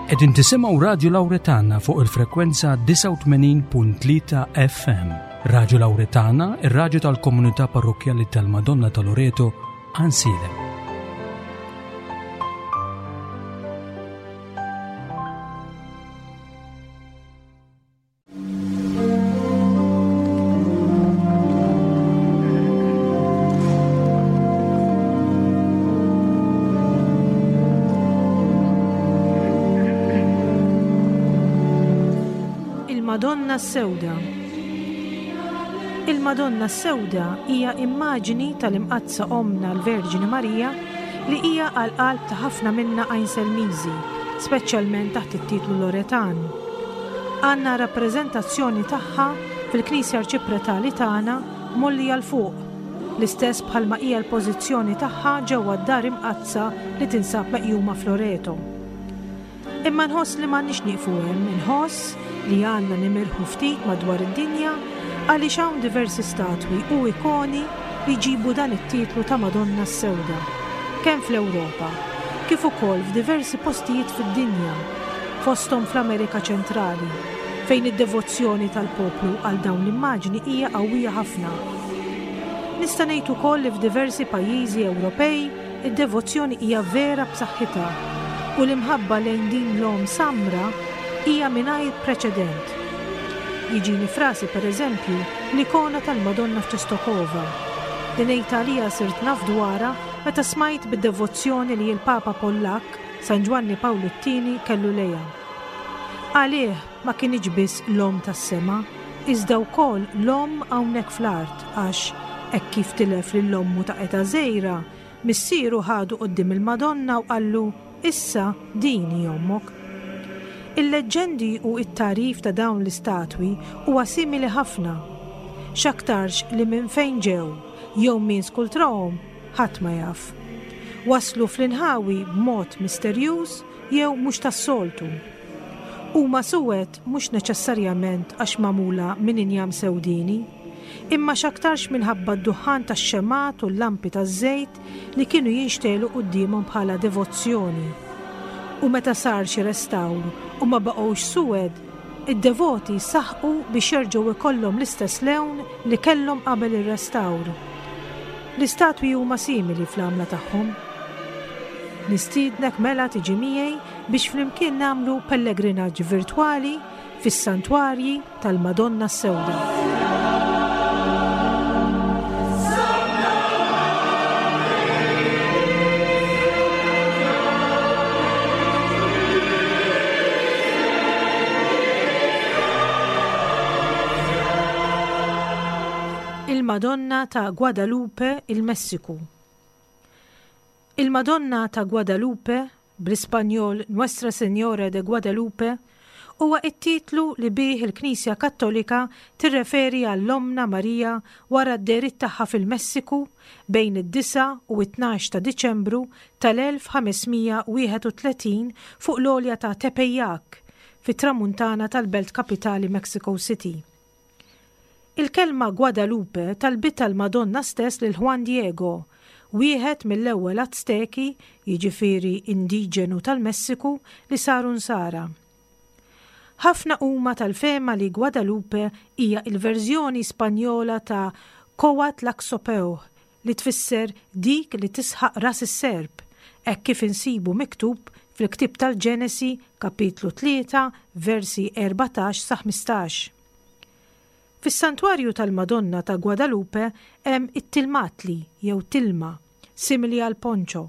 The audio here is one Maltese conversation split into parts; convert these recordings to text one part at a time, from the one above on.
Qegħdin tisimgħu Radju Lawretana fuq il-frekwenza 89.3 FM. Radju Lawretana, ir-radju tal-komunità parrokkjali tal-Madonna ta' Loreto, Għansielem. Il-Madonna s-Sewda Il-Madonna s-Sewda hija immaġini tal-Imqaddsa Ommna l-Verġni Marija li hija għall-qalb ta' ħafna minna Għajnselmiżi, speċjalment taħt it-titlu Loretan. Għandna rappreżentazzjoni tagħha fil-Knisja Arċipretali tagħna mgħollija 'l fuq, l-istess bħalma hija l-pożizzjoni tagħha ġewwa d-Dar Imqaddsa li tinsab meqjuma f'Loreto. Imma nħoss li m'għandniex nieqfu hemm, inħoss li għandna nimirħu ftit madwar id-dinja għaliex hawn diversi statwi u ikoni li jġibu dan it-titlu ta' Madonna s-Sewda, kemm fl-Ewropa, kif ukoll f'diversi postijiet fid-dinja, fosthom fl-Amerika Ċentrali, fejn id-devozzjoni tal-poplu għal dawn l-immaġni hija qawwija ħafna. Nista' ngħid ukoll li f'diversi pajjiżi Ewropej id-devozzjoni hija vera b'saħħitha u l-imħabba lejn din l-Omm Samra hija mingħajr preċedent. Jiġini f'rasi pereżempju l-ikona tal-Madonna f'Czestochowa, li ngħid għaliha sirt naf dwarha meta smajt bid-devozzjoni li l-Papa Pollakk, San Ġwanni Pawlu t-Tieni kellu lejha. Għalih ma kinitx biss l-Omm tas-Sema, iżda wkoll l-Omm hawnhekk fl-art għax, hekk kif tilef lil ommu ta' età żgħira, missieru ħadu quddiem il-Madonna u qallu, Issa din hi ommok. Il-leġġendi u t-tagħrif ta' dawn l-istatwi huwa simili ħafna. X'aktarx li minn fejn ġew jew min skultrahom ħadd ma jaf. Waslu fl-inħawi b'mod misterjuż jew mhux tas-soltu. Huma suwed mhux neċessarjament għax magħmula minn injam sewdieni, imma x'aktarx minħabba d-duħħan tax-xemgħat u l-lampi taż-żejt li kienu jinxtegħlu quddiemhom bħala devozzjoni. U meta sar xi restawr u ma baqgħux suwed, Id-devoti saħqu biex jerġgħu jkollhom l-istess lewn li kellhom qabel ir-restawr. L-istatwi huma simili fl-għamla tagħhom. Nistiednek mela tiġi miegħi biex flimkien nagħmlu pellegrinaġġ virtwali fis-santwarji tal-Madonna s-Sewda. Il-Madonna ta' Guadalupe, il-Messiku. Il-Madonna ta' Guadalupe, bl-Ispanjol Nuestra Señora de Guadalupe, huwa t-titlu li bih il-Knisja Kattolika tirreferi għal Ommna Marija wara d-dehriet tagħha fil-Messiku bejn id-disgħa u t-tnax ta' Diċembru tal-1531 fuq l-għolja ta' Tepeyac, fit-tramuntana tal-belt kapitali Mexico City. Il-kelma Guadalupe talbitha l-Madonna stess lil Juan Diego, wieħed mill-ewwel Azteki, jiġifieri indiġenu tal-Messiku, li saru Nsara. Ħafna huma tal-fehma li Guadalupe hija l-verżjoni Spanjola ta' Coatlaxopeuh li tfisser dik li tisħaq ras is-serp, hekk kif insibu miktub fil-ktieb tal-Ġenesi kapitlu 3 versi 14 sa 15. Fis-Santwarju tal-Madonna ta' Guadalupe hemm it-tilmatli jew tilma, simili għal poncho,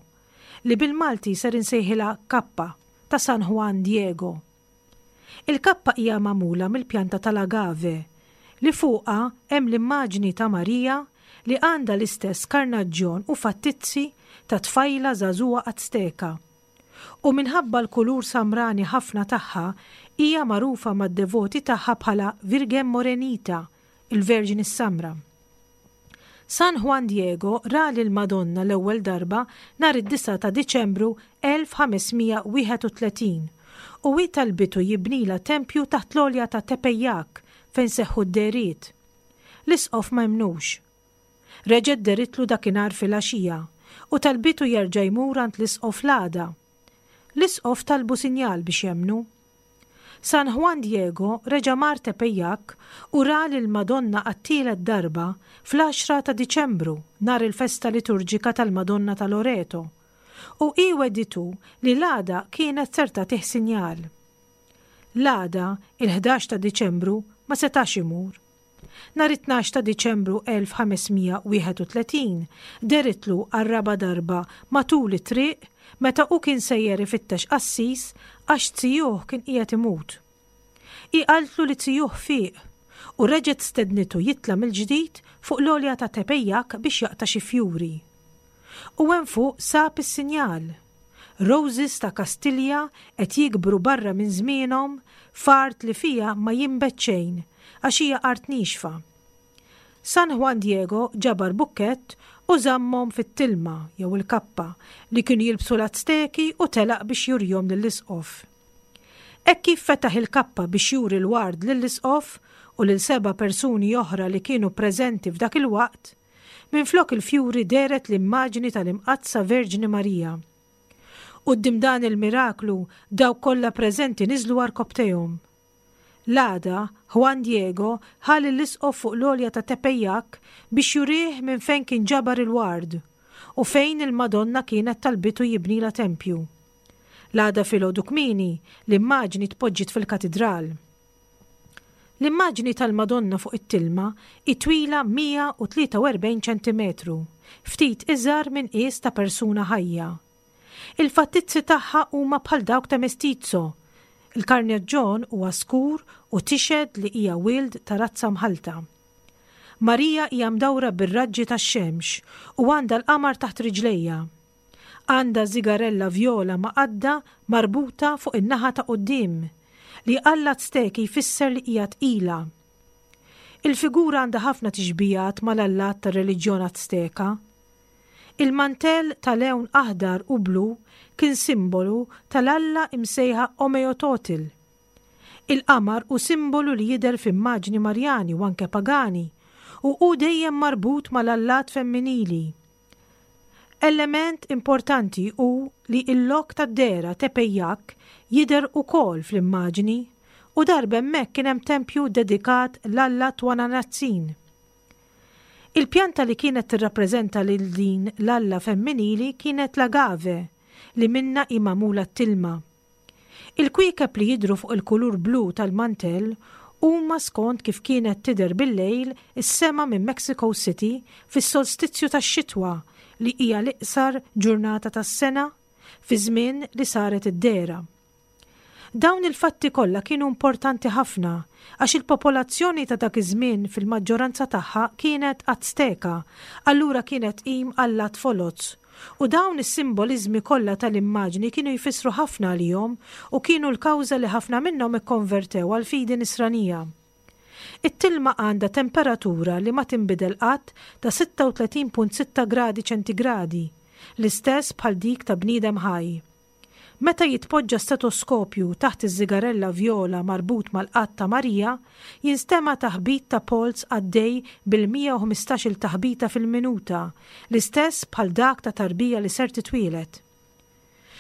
li bil-Malti ser insejħilha kappa, ta' San Juan Diego. Il-kappa hija magħmula mill-pjanta tal-agave, li fuqha hemm l-immaġni ta' Marija li għandha l-istess karnaġġjon u fattizzi ta' tfajla żagħżugħa Azteka. U minħabba l-kulur samrani ħafna tagħha, hija magħrufa mad-devoti tagħha bħala Virgen Morenita, il-Verġni s-Samra. San Juan Diego ra lill-Madonna l-ewwel darba nhar id-disgħa ta' Diċembru 1531 u hi talbitu jibnilha tempju taħt l-għolja ta' Tepeyac fejn seħħu d-dehriet. L-isqof ma emmnux. Reġgħet dehritlu dakinhar filgħaxija u talbitu jerġa' jmur għand l-isqof l-għada. L-isqof talbu sinjal biex jemmnu. San Juan Diego reġa' mar Tepeyac u ra lill-Madonna għat-tielet darba fl-għaxra ta' Diċembru, nhar il-festa liturġika tal-Madonna ta' Loreto, u hi wegħditu li l-għada kienet ser tagħtih sinjal. L-għada, il-ħdax ta' Diċembru, ma setax imur. Nhar it-tnax ta' Diċembru 1531, dehritlu għar-raba' darba matul it-triq meta hu kien sejjer ifittex qassis għax zijuh kien qiegħed imut. Hi qaltlu li zijuh fieq u reġgħet stednitu jitla' mill-ġdid fuq l-għolja ta' Tepeyac biex jaqta' xi fjuri. U hemm fuq sab is-sinjal. Roses ta' Kastilja qed jikbru barra minn żmienhom f'art li fiha ma jinbet xejn għax hija art niexfa. San Juan Diego ġabar bukkett u żammhom fit-tilma, jew il-kappa, li kienu jilbsu l-Azteki u telaq biex jurihom lill-isqof. Hekk kif fetaħ il-kappa biex juri l-ward lill-isqof u lil seba' persuni oħra li kienu preżenti f'dak il-waqt, Minflok il-fjuri dehret l-immaġni tal-Imqaddsa Verġni Marija. Quddiem dan il-miraklu dawk kollha preżenti niżlu għarkopptejhom. L-għada, Juan Diego ħa lill-isqof fuq l-għolja ta' Tepeyac biex jurih minn fejn kien ġabar il-ward u fejn il-Madonna kienet talbitu jibnilha tempju. L-għada filgħodu kmieni, l-immaġni tpoġġiet fil-katidral. L-immaġni tal-Madonna fuq it-tilma hi twila 143 ċentimetru, ftit iżgħar minn qies ta' persuna ħajja. Il-fattizzi tagħha huma bħal dawk ta' mestizzo. Il-karnaġġon huwa skur u tixhed li hija wild ta' razza mħallta. Marija hija mdawra bir-raġġi tax-xemx u għandha l-qamar taħt riġlejha. Għandha żigarella vjola ma' qadda marbuta fuq in-naħa ta' quddiem, li għall-Azteki jfisser li hija tqila. Il-figura għandha ħafna tixbihat mal-allat tar-reliġjon Azteka. Il-mantell ta' lewn aħdar u blu kien simbolu tal-alla imsejħa Omeyototil. Il-qamar hu simbolu li jidher f'immaġni Marjani u anke pagani, u hu dejjem marbut mal-allat femminili. Element importanti hu li l-lok tad-dehra Tepeyac jidher ukoll fl-immaġni u darba hemmhekk kien hemm tempju ddedikat l-alla Twananatzin. Il-pjanta li kienet tirrappreżenta lil din l-alla femminili kienet l-agave li minnha hi magħmula t-tilma. Il-kwiekeb li jidhru fuq il-kulur blu tal-mantell huma skont kif kienet tidher bil-lejl is-sema minn Mexico City fis-solstizju tax-xitwa li hija l-iqsar ġurnata tas-sena fiż-żmien li saret id-dehra. Dawn il-fatti kollha kienu importanti ħafna għax il-popolazzjoni ta' dak iż-żmien fil-maġġoranza tagħha kienet Azteka allura kienet tqim allat foloz U dawn is-simboliżmi kollha tal-immaġni kienu jfissru ħafna għalihom u kienu l-kawża li ħafna minnhom ikkonvertew għall-fidi Nisranija. It-tilma għandha temperatura li ma tinbidel qatt ta' 36.6 gradi ċentigradi, l-istess bħal dik ta' bniedem ħaj. Meta jitpoġġa stetoskopju taħt iż-żigarella vjola marbut mal-qadd ta' Marija, jinstema' taħbit ta' polz għaddej bil-115-il taħbita fil-minuta, l-istess bħal dak ta' tarbija li ser titwieled.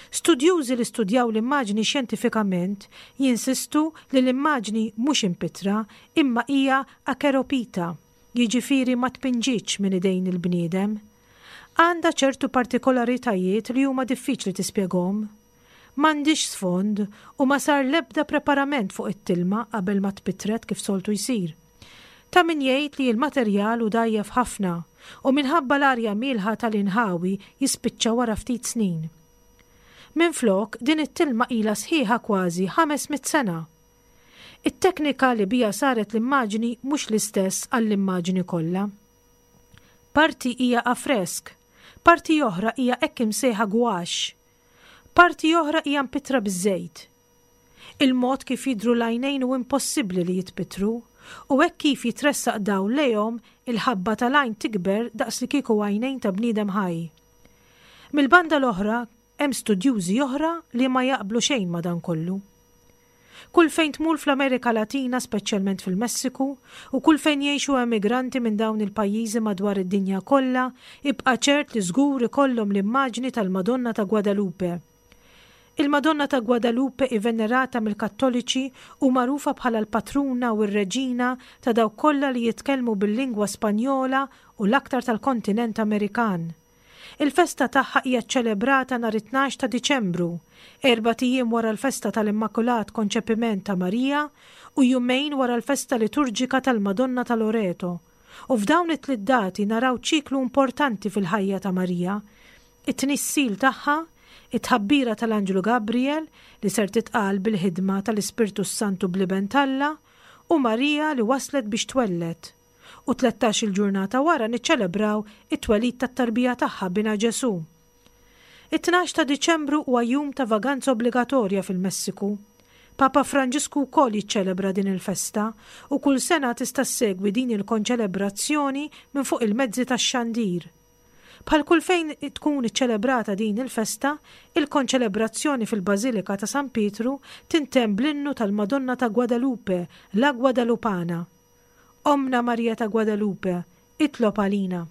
Studjużi li studjaw l-immaġni xjentifikament jinsistu li l-immaġni mhux impittra imma hija acheropita, jiġifieri ma tpinġietx minn idejn il-bniedem. Għandha ċertu partikolaritajiet li huma diffiċli tispjegahom. M'għandhiex sfond u ma sar l-ebda preparament fuq it-tilma qabel ma tpittret kif soltu jsir. Ta' min jgħid li l-materjal hu dgħajjef ħafna u minħabba l-arja mielħa tal-inħawi jispiċċa wara ftit snin. Minflok, din it-tilma ilha sħiħa kważi 500 sena. It-teknika li biha saret l-immaġni mhux l-istess għall-immaġni kollha. Parti hija affresk, parti oħra hija hekk imsejħa gouache. Parti oħra hija mpittra biż-żejt. Il-mod kif jidhru l-għajnejn hu impossibbli li jitpittru, u hekk kif jitressaq dawl lejhom, il-ħabba tal-għajn tikber daqs li kieku għajnejn ta' bniedem ħaj. Mill-banda l-oħra, hemm studjużi oħra li ma jaqblu xejn ma' dan kollu. Kull fejn tmur fl-Amerika Latina, speċjalment fil-Messiku, u kull fejn jgħixu emigranti minn dawn il-pajjiżi madwar id-dinja kollha, ibqa' ċert li żgur ikollhom l-immaġni tal-Madonna ta' Guadalupe. Il-Madonna ta' Guadalupe hi venerata mill-Kattoliċi u magħrufa bħala l-patruna u r-reġina ta' dawk kollha li jitkellmu bil-lingwa Spanjola u l-aktar tal-kontinent Amerikan. Il-festa tagħha hija ċċelebrata nhar it-tnax ta' Diċembru, erbat ijiem wara l-festa tal-Immakulat Konċepiment ta' Marija u jumejn wara l-festa liturġika tal-Madonna ta' Loreto. U f'dawn it-tliet dati naraw ċiklu importanti fil-ħajja ta' Marija, it-tnissil tagħha, it-tħabbira tal-Anġlu Gabriel li ser titqal bil-ħidma tal-Ispirtu s-Santu bl-Iben t'Alla, u Marija li waslet biex twelled. U tlettax-il ġurnata wara niċċelebraw it-twelid tat-tarbija tagħha binha Ġesù. It-tnax ta' Diċembru huwa jum ta' vaganza obbligatorja fil-Messiku. Papa Franġisku wkoll jiċċelebra din il-festa u kull sena tista' ssegwi din il-konċelebrazzjoni minn fuq il-mezzi tax-xandir. Bħal kull fejn tkun iċċelebrata din il-festa, il-konċelebrazzjoni fil-Bażilika ta' San Pietru tintemm bl-innu tal-Madonna ta' Guadalupe, La Guadalupana. Ommna Marija ta' Guadalupe, itlob għalina.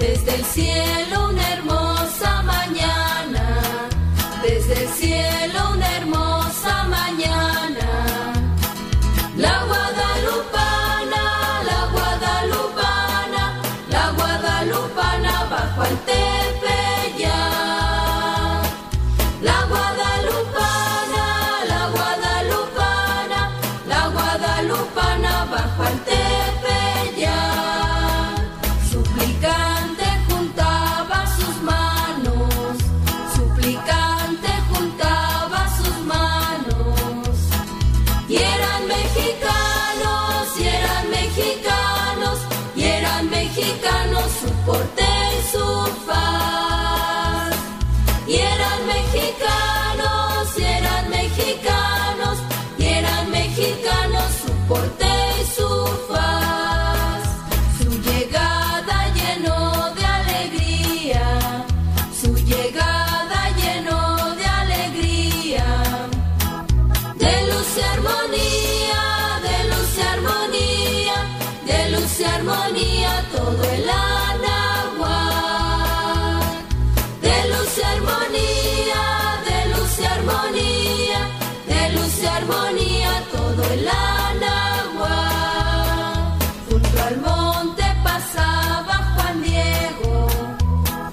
Desde el cielo una hermosa mañana, desde el cielo una hermosa mañana. La Guadalupana, la Guadalupana, la Guadalupana bajo al Tepeyac. La Guadalupana, la Guadalupana, la Guadalupana bajo al Tepeyac. Suplicante juntaba sus manos, suplicante juntaba sus manos. Y eran mexicanos, y eran mexicanos, y eran mexicanos su porte y su faz. Y eran mexicanos, y eran mexicanos, y eran mexicanos su porte y su faz. Su llegada llenó de alegría, su llegada llenó de alegría. De luz y armonía, de luz y armonía, de luz y armonía todo el Anahuac. De luz y armonía, de luz y armonía, de luz y armonía todo el Anahuac. Junto al monte pasaba Juan Diego,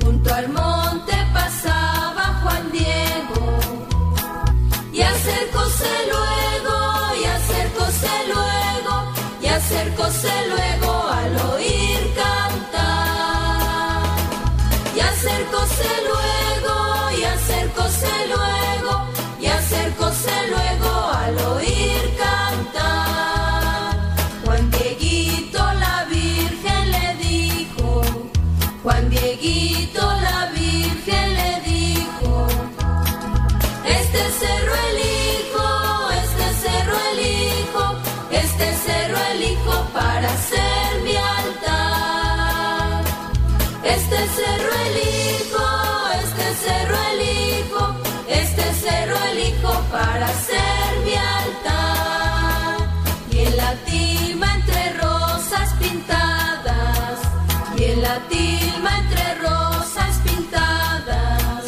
junto al monte pasaba Juan Diego. Y acercóse luego, y acercóse luego, y acercóse luego al oír cantar. Y acercóse luego, y acercóse luego, y acercóse luego al oír cantar. Juan Dieguito la Virgen le dijo, Juan Dieguito la Virgen le dijo, este cerro elijo, este cerro elijo, este cerro elijo para hacer mi altar. Este cerro elijo, este cerro elijo, este cerro elijo para hacer mi altar. Y en la tilma entre rosas pintadas, y en la tilma entre rosas pintadas,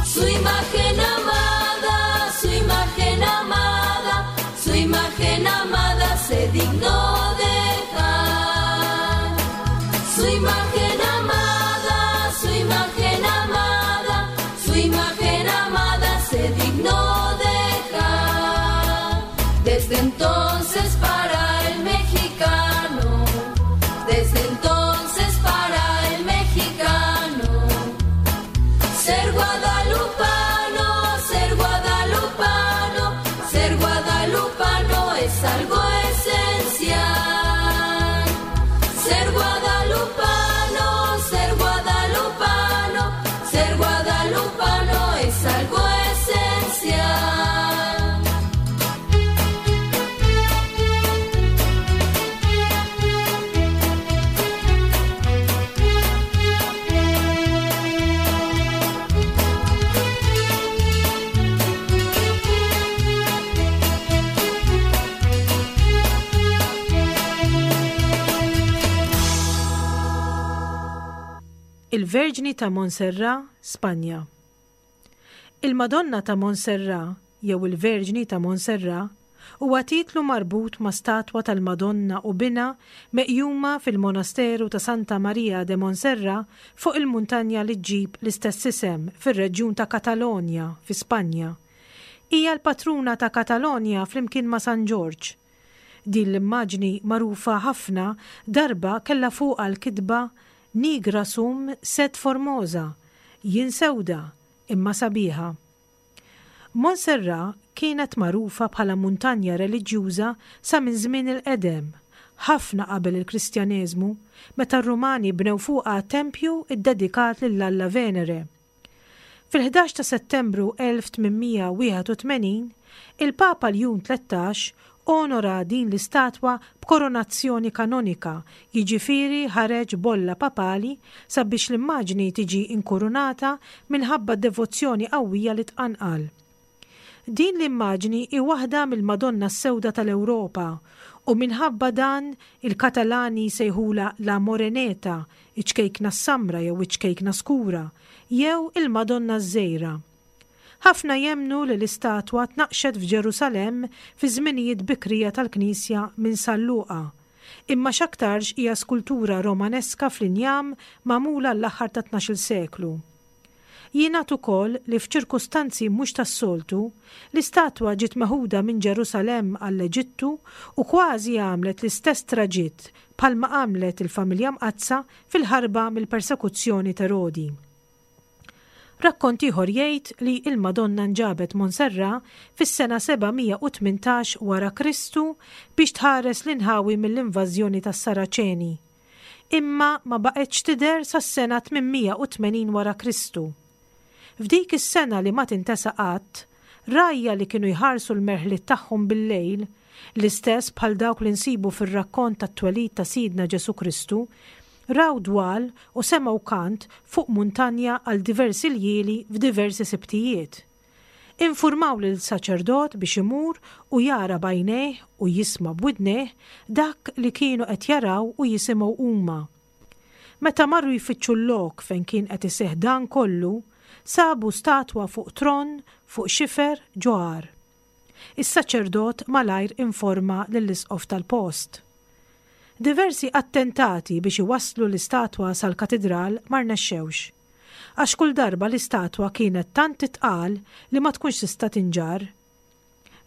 su imagen amada, su imagen amada, su imagen amada se dignó dejar. Su imagen amada, su imagen amada, su imagen amada se dignó dejar. Desde entonces para el mexicano, desde entonces para el mexicano, ser guadalupano, ser guadalupano, ser guadalupano es algo esencial. Ser guadalupano, ser guadalupano, ser guadalupano es algo esencial. Il-Verġni ta' Montserrat, Spanja. Il-Madonna ta' Montserrat jew il-Verġni ta' Montserrat huwa titlu marbut ma' statwa tal-Madonna u binha meqjuma fil-Monasteru ta' Santa Maria de Montserrat fuq il-muntanja li ġġib l-istess isem fir-reġjun ta' Katalonja fi Spanja. Hija l-patruna ta' Katalonja flimkien ma' San Ġorġ. Din l-immaġni magħrufa ħafna darba kellha fuqha l-kitba Nigra sum sed formosa, Jien sewda, imma sabiħa. Montserrat kienet magħrufa bħala muntanja reliġjuża sa minn żmien il-qedem, ħafna qabel il-Kristjaneżmu, meta r-Rumani bnew fuqha tempju ddedikat lill-alla Venere. Fil-11 ta' Settembru 1881, il-Papa Ljun 13 onora din l-istatwa b'koronazzjoni kanonika, jiġifieri ħareġ bolla papali sabiex l-immaġni tiġi inkurunata minħabba d-devozzjoni qawwija li tqanqal. Din l-immaġni hi waħda mill-Madonna s-Sewda tal-Ewropa u minħabba dan il-Katalani jsejħulha La Moreneta, iċ-ċkejkna s-samra jew iċ-ċkejkna skura, jew il-Madonna ż-Żgħira. Ħafna jemmnu li l-istatwa tnaqqxet f'Ġerusalemm fiż-żminijiet bikrija tal-Knisja minn San Luqa, imma x'aktarx hija skultura Romaneska fl-injam magħmula l-aħħar tat-tnax-il seklu. Jingħad ukoll li f'ċirkustanzi mhux tas-soltu, l-istatwa ġiet meħuda minn Ġerusalemm għall-Eġittu u kważi għamlet l-istess traġitt bħalma għamlet il-Familja Mqaddsa fil-ħarba mill-persekuzzjoni t'Erodi. Rakkont ieħor jgħid li l-Madonna nġabet Montserrat fis-sena 718 wara Kristu biex tħares l-inħawi mill-invażjoni tas-Saraċeni. Imma ma baqgħetx tidher sas-sena 880 wara Kristu. F'dik is-sena li ma tintesa qatt, rgħajja li kienu jħarsu l-merħliet tagħhom bil-lejl, l-istess bħal dawk li nsibu fir-rakkont tat-twelid ta' Sidna Ġesù Kristu, raw dwal u semgħu kant fuq muntanja għal diversi ljieli f'diversi Sibtijiet. Infurmaw lil saċerdot biex imur u jara b'għajnejh u jisma' b'widnejh dak li kienu qed jaraw u jisimgħu huma. Meta marru jfittxu l-lok fejn kien qed iseħħ dan kollu, sabu statwa fuq tron fuq xifer ġo għar. Is-saċerdot malajr informa lill-isqof tal-post. Diversi attentati biex iwasslu l-istatwa sal-katidral ma rnexxewx. Għax kull darba l-istatwa kienet tant titqal li ma tkunx tista' tinġarr.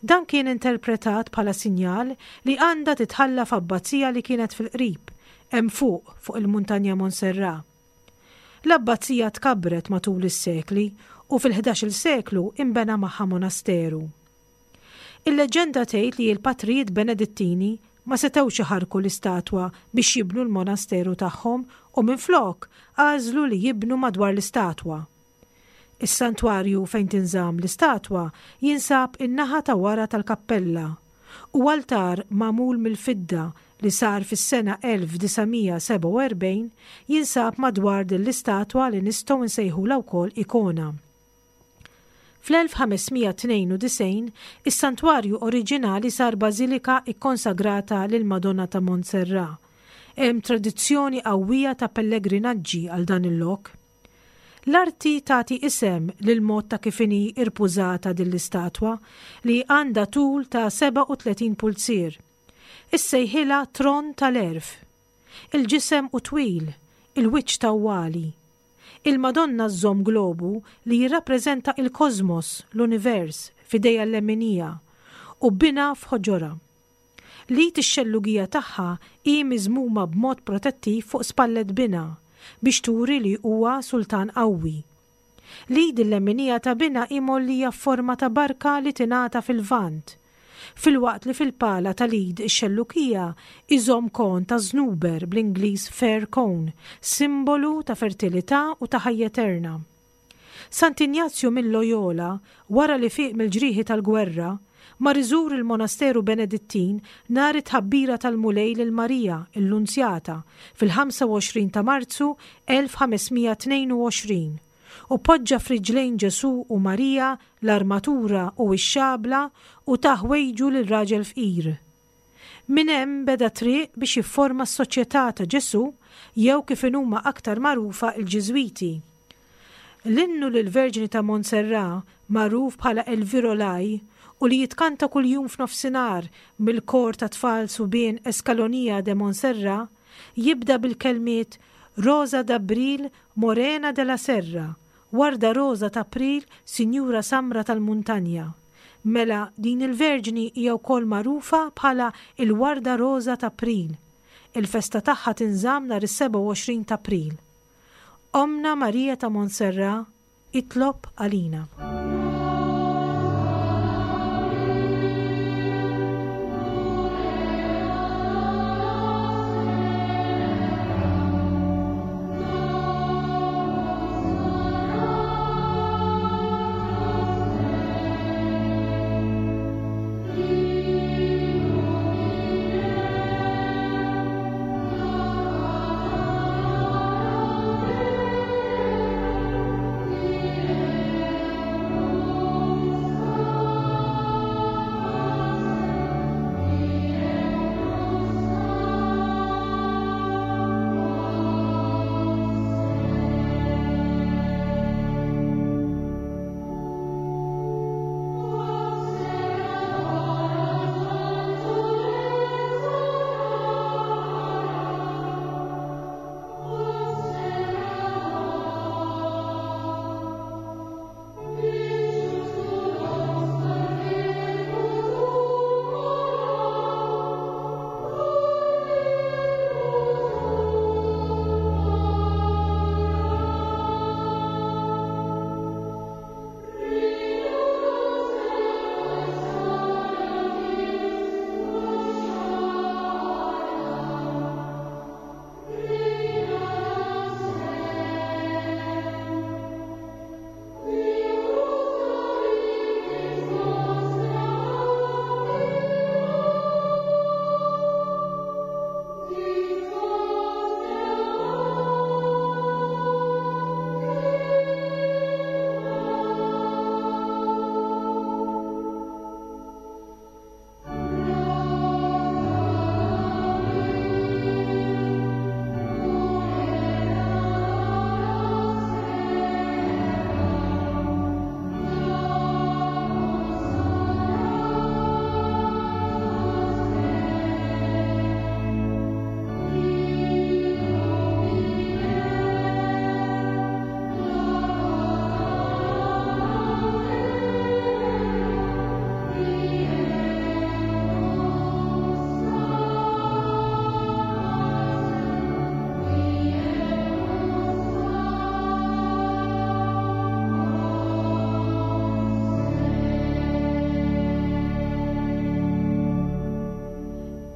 Dan kien interpretat bħala sinjal li għandha titħalla f'abbazija li kienet fil-qrib, hemm fuq, fuq il-muntanja Montserrat. L-abbazija tkabbret matul is-sekli u fil-ħdax-il seklu inbena magħha monasteru. Il-leġġenda tgħid li l-patrijiet Benedittini ma setgħux iħarrku l-istatwa biex jibnu l-monasteru tagħhom u minflok għażlu li jibnu madwar l-istatwa. Is-santwarju fejn tinżamm l-istatwa jinsab in-naħa ta' wara tal-kappella u altar magħmul mill-fidda li sar fis-sena 1947 jinsab madwar din l-istatwa li nistgħu nsejħulha wkoll ikona. Fl-1592, is-santwarju oriġinali sar bażilika kkonsagrata lill-Madonna ta' Montserrat. Hemm tradizzjoni qawwija ta' pellegrinaġġi għal dan il-lok. L-arti tagħti isem lill-mod ta' kif inhi rpużata din l-istatwa, li għandha tul ta' 37 pulzier. Issejħilha Tron tal-Għerf. Il-ġisem hu twil, il-wiċċ tawwali. Il-Madonna żżomm globu li jirrappreżenta il-kosmos, l-univers, f'idejha l-leminija, u binha f'ħoġorha. L-id ix-xellugija tagħha hi miżmuma b'mod protettiv fuq spallet binha, biex turi li huwa sultan qawwi. L-id il-leminija ta' binha hi mgħollija f'forma ta' barka li tingħata fil-Lvant, filwaqt li fil-pala tal-id ix-xellukija iżomm kon ta' żnuber, bl-Ingliż fir cone, simbolu ta' fertilità u ta' ħajja eterna. Sant'Injazju minn Loyola, wara li fieq mill-ġrieħi tal-gwerra, mar iżur il-monasteru Benedittin nhar it-tħabbira tal-Mulej lil Marija, il-Lunzjata, fil-25 ta' Marzu 1522, u poġġa f'riġlejn Ġesù u Marija l-armatura u x-xabla u ta ħwejġu lil raġel fqir. Minn hemm beda triq biex jifforma s-Soċjetà ta' Ġesù jew kif inhuma aktar magħrufa l-Ġiżwiti. L-innu lill-Verġni ta' Montserrat, magħruf bħala El Virolai, u li jitkanta kuljum f'nofsinhar mill-kor ta' tfal subien Escalonía de Montserrat, jibda bil-kelmiet Rosa d'Abril, Morena de la Serra, Warda roża t'April, Sinjura Samra tal-Muntanja. Mela din il-Verġni hija wkoll magħrufa bħala il-Warda Roża t'April. Il-festa tagħha tinżamm nhar is-27 t'April. Ommna Marija ta' Montserrat, itlob għalina.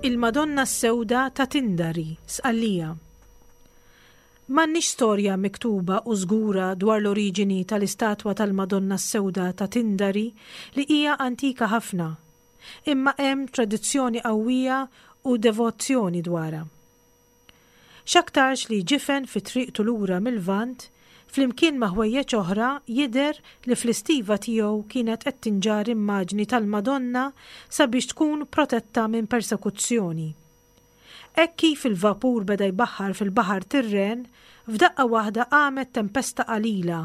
Il-Madonna s-Sewda ta' Tindari, Sqallija. M'għandniex storja miktuba u żgura dwar l-oriġini tal-istatwa tal-Madonna s-Sewda ta' Tindari li hija antika ħafna. Imma hemm tradizzjoni qawwija u devozzjoni dwarha. X'aktarx li ġifen fi triqtu lura mil-Lvant, flimkien ma' ħwejjeġ oħra jidher li fl-istiva tiegħu kienet qed tinġarr immaġni tal-Madonna sabiex tkun protetta minn persekuzzjoni. Hekk kif il-vapur beda jbaħħar fil-Baħar Tirren, f'daqqa waħda qamet tempesta qalila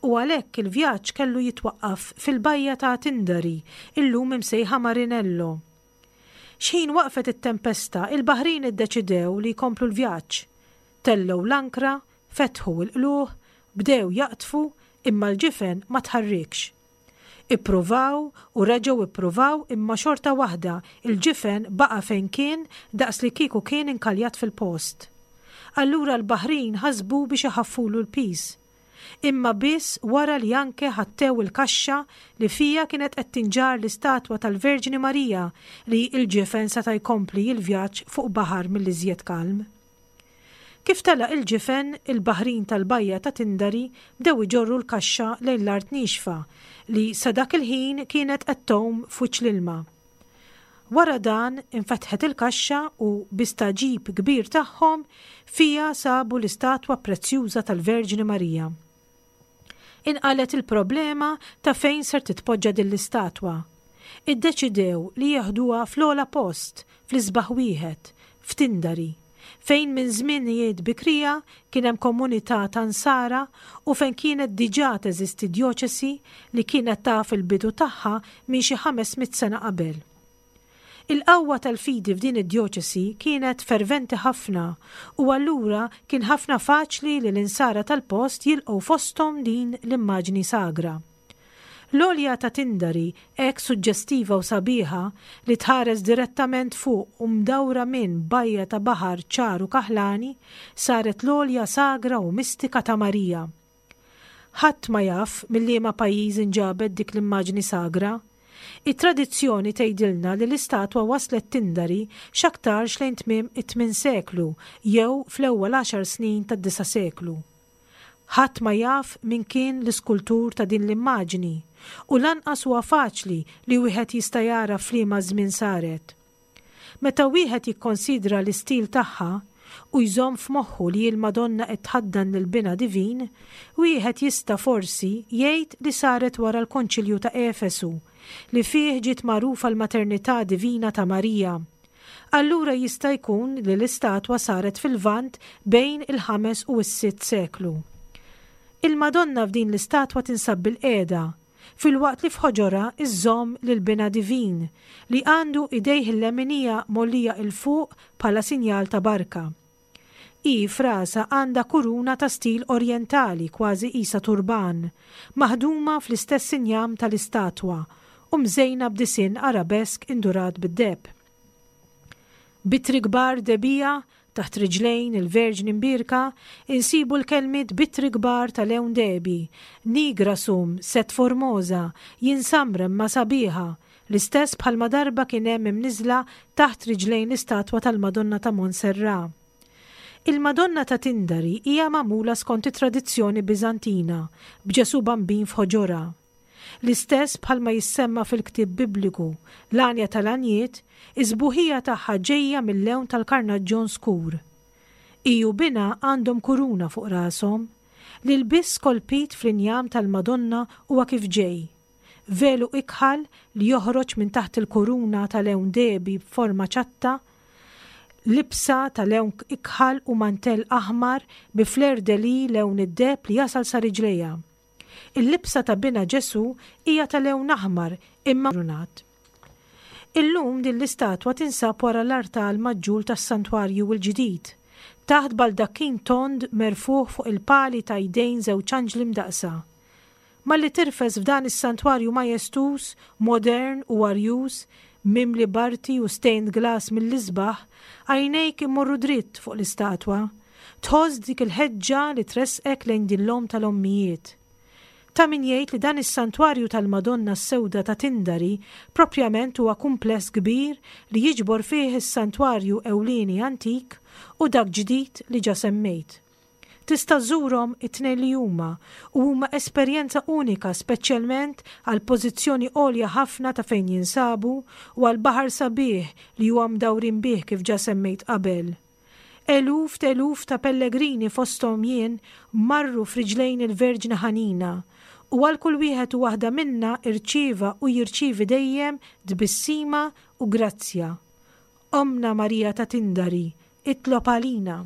u għalhekk il-vjaġġ kellu jitwaqqaf fil-bajja ta' Tindari, illum imsejħa Marinello. X'ħin waqfet it-tempesta, il-baħrin iddeċidew li jkomplu l-vjaġġ. Tellgħu l-ankra, fetħu l-qlugħ, bdew jaqdfu, imma l-ġifen ma tħarrikx. Ippruvaw u reġgħu ippruvaw imma xorta waħda l-ġifen baqa' fejn kien daqs li kieku kien inkaljat fil-post. Allura l-baħrin ħasbu biex iħaffulu l-piż. Imma biss wara li anke ħattew il-kaxxa li fiha kienet qed tinġarr l-istatwa tal-Verġni Marija li l-ġifen seta' jkompli l-vjaġġ fuq baħar mill-iżjed kalm. Kif telaq il-ġifen, il-baħrin tal-bajja ta' Tindari bdew iġorru l-kaxxa lejn l-art niexfa li sa dak il-ħin kienet qed tgħum f'wiċċ l-ilma. Wara dan, infetħet il-kaxxa u, bi stagħġib kbir tagħhom, fiha sabu l-istatwa prezzjuża tal-Verġni Marija. Inqalgħet il-problema ta' fejn ser titpoġġa din l-istatwa. Iddeċidew li jeħduha fl-ogħla post, fl-isbaħ wieħed, f'Tindari, fejn minn żmienijiet bikrija kien hemm komunità ta' Nsara u fejn kienet diġà teżisti djoċesi li kienet taf il-bidu tagħha minn xi 500 sena qabel. Il-qawwa tal-fidi f'din id-djoċesi kienet ferventi ħafna u allura kien ħafna faċli li l-Insara tal-post jilqgħu fosthom din l-immaġni sagra. L-għolja ta' Tindari, hekk suġġestiva u sabiħa, li tħares direttament fuq u mdawra minn bajja ta' baħar ċar u kaħlani, saret l-għolja sagra u mistika ta' Marija. Ħadd ma jaf minn liema pajjiż inġabet dik l-immaġni sagra. It-tradizzjoni tgħidilna li l-istatwa waslet Tindari x'aktarx lejn tmiem it-tmien seklu jew fl-ewwel għaxar snin tad-disa' seklu. Ħadd ma jaf min kien l-iskultur ta' din l-immaġni u lanqas huwa faċli li wieħed jista' jagħraf f'liema żmien saret. Meta wieħed jikkonsidra l-istil tagħha u jżomm f'moħħu li l-Madonna qed tħaddan lil Binha Divin, wieħed jista' forsi jgħid li saret wara l-Konċilju ta' Efesu, li fih ġiet magħrufa l-maternità divina ta' Marija. Allura jista' jkun li l-istatwa saret fil-Lvant bejn il-ħames u s-sitt seklu. Il-Madonna f'din l-istatwa tinsab bilqiegħda, filwaqt li f'ħoġorha żżomm lil Binha Divin, li għandu idejh il-leminija mgħollija 'l fuq bħala sinjal ta' barka. Hi f'rasha għandha kuruna ta' stil orjentali kważi qisha turban, maħduma fl-istess injam tal-istatwa u mżejna b'disinn arabesk indurat bid-deheb. B'ittri kbar dehbija taħt riġlejn il-Verġni Mbierka insibu l-kelmiet b'ittri kbar ta' lewn dehbi, Nigra sum, sed formosa, jien samra imma sabiħa, L-istess bħalma darba kien hemm imniżżla taħt riġlejn l-istatwa tal-Madonna ta' Montserrat. Il-Madonna ta' Tindari hija magħmula skont it-tradizzjoni Biżantina, b'Ġesù Bambin f'ħoġorha. L-istess bħalma jissemma fil-ktieb Bibliku, l-Għanja tal-Għanjiet, is-sbuħija tagħha ġejja mil-lewn tal-karnaġġon skur. Hi u binha għandhom kuruna fuq rashom. L-ilbies skolpit fl-injam tal-Madonna huwa kif ġej. Velu ikħal li joħroġ minn taħt il-kuruna ta' lewn dehbi b'forma ċatta, libsa ta' lewn ikħal u mantell aħmar bi fleur-de-lis lewn id-deheb li jasal sa riġlejha. Il-libsa ta' binha Ġesù hija ta' lewn aħmar imma kurunat. Illum din l-istatwa tinsab wara l-artal maġġur tas-santwarju l-ġdid, taħt baldakkin tond merfugħ fuq il-pali ta' jdejn żewġ anġli mdaqqsa. Malli tirfes f'dan is-santwarju majestuż, modern u arjuż, mimli b'arti u stained glass mill-isbaħ, għajnejk imorru dritt fuq l-istatwa. Tħoss dik il-ħeġġa li tressqek lejn din l-Omm tal-Ommijiet. Ta' min jgħid li dan is-santwarju tal-Madonna s-Sewda ta' Tindari proprjament huwa kumpless kbir li jiġbor fih is-santwarju ewlieni antik u dak ġdid li ġa semmejt. Tista' żżurhom it-tnejn li huma u huma esperjenza unika speċjalment għall-pożizzjoni għolja ħafna ta' fejn jinsabu u għall-baħar sabiħ li huwa mdawrin bih kif ġa semmejt qabel. Eluf t'eluf ta' pellegrini fosthom jien marru f'riġlejn il-Verġni Ħanina u għal kull wieħed u waħda minna rċieva u jirċievi dejjem tbissima u grazzja. Ommna Marija ta' Tindari, itlob għalina.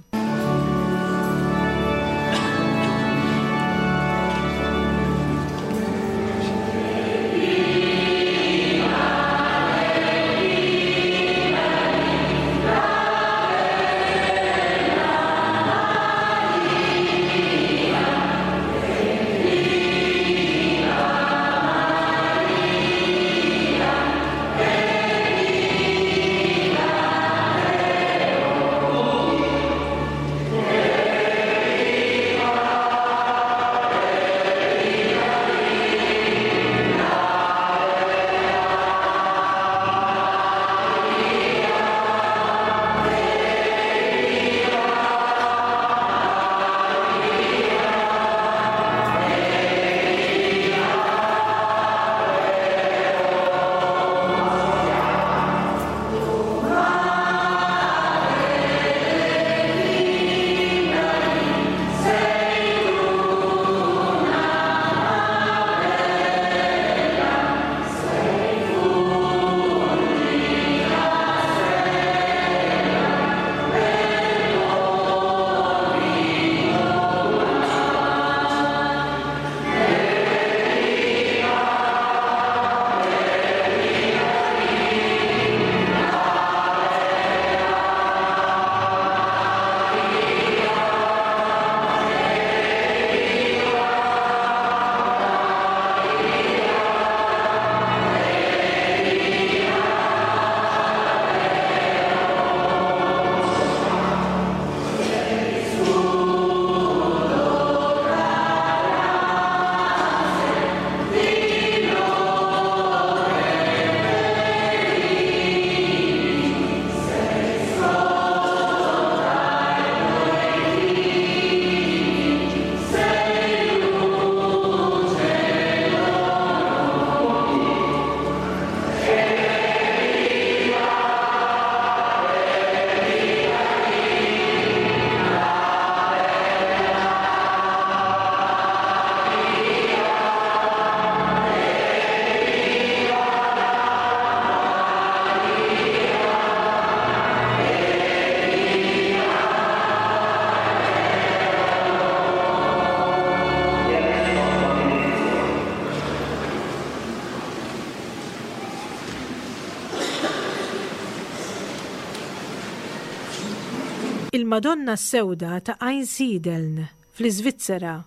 Il-Madonna s-Sewda ta' Einsiedeln, fl-Iżvizzera.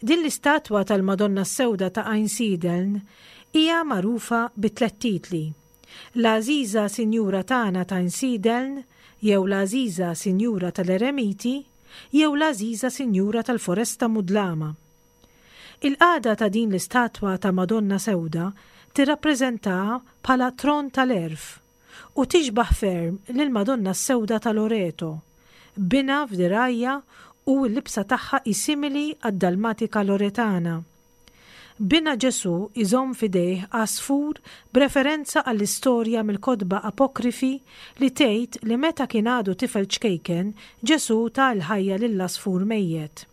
Din l-istatwa tal-Madonna s-Sewda ta' Einsiedeln hija magħrufa bi tlett titli, L-Għażiża Sinjura tagħna ta' Einsiedeln jew L-Għażiża Sinjura tal-Eremiti jew L-Għażiża Sinjura tal-Foresta Mudlama. Il-qagħda ta' din l-istatwa ta' Madonna Sewda tirrappreżentaha bħala tron tal-għerf u tixbah ferm lill-Madonna s-Sewda ta' Loreto, b'binha f'dirgħajha u l-libsa tagħha hi simili għad-dalmatika Loretana. Binha Ġesù jżomm f'idejh għasfur b'referenza għall-istorja mill-kotba apokrifi li tgħid li meta kien għadu tifel ċkejken Ġesù ta l-ħajja lill-għasfur mejjet.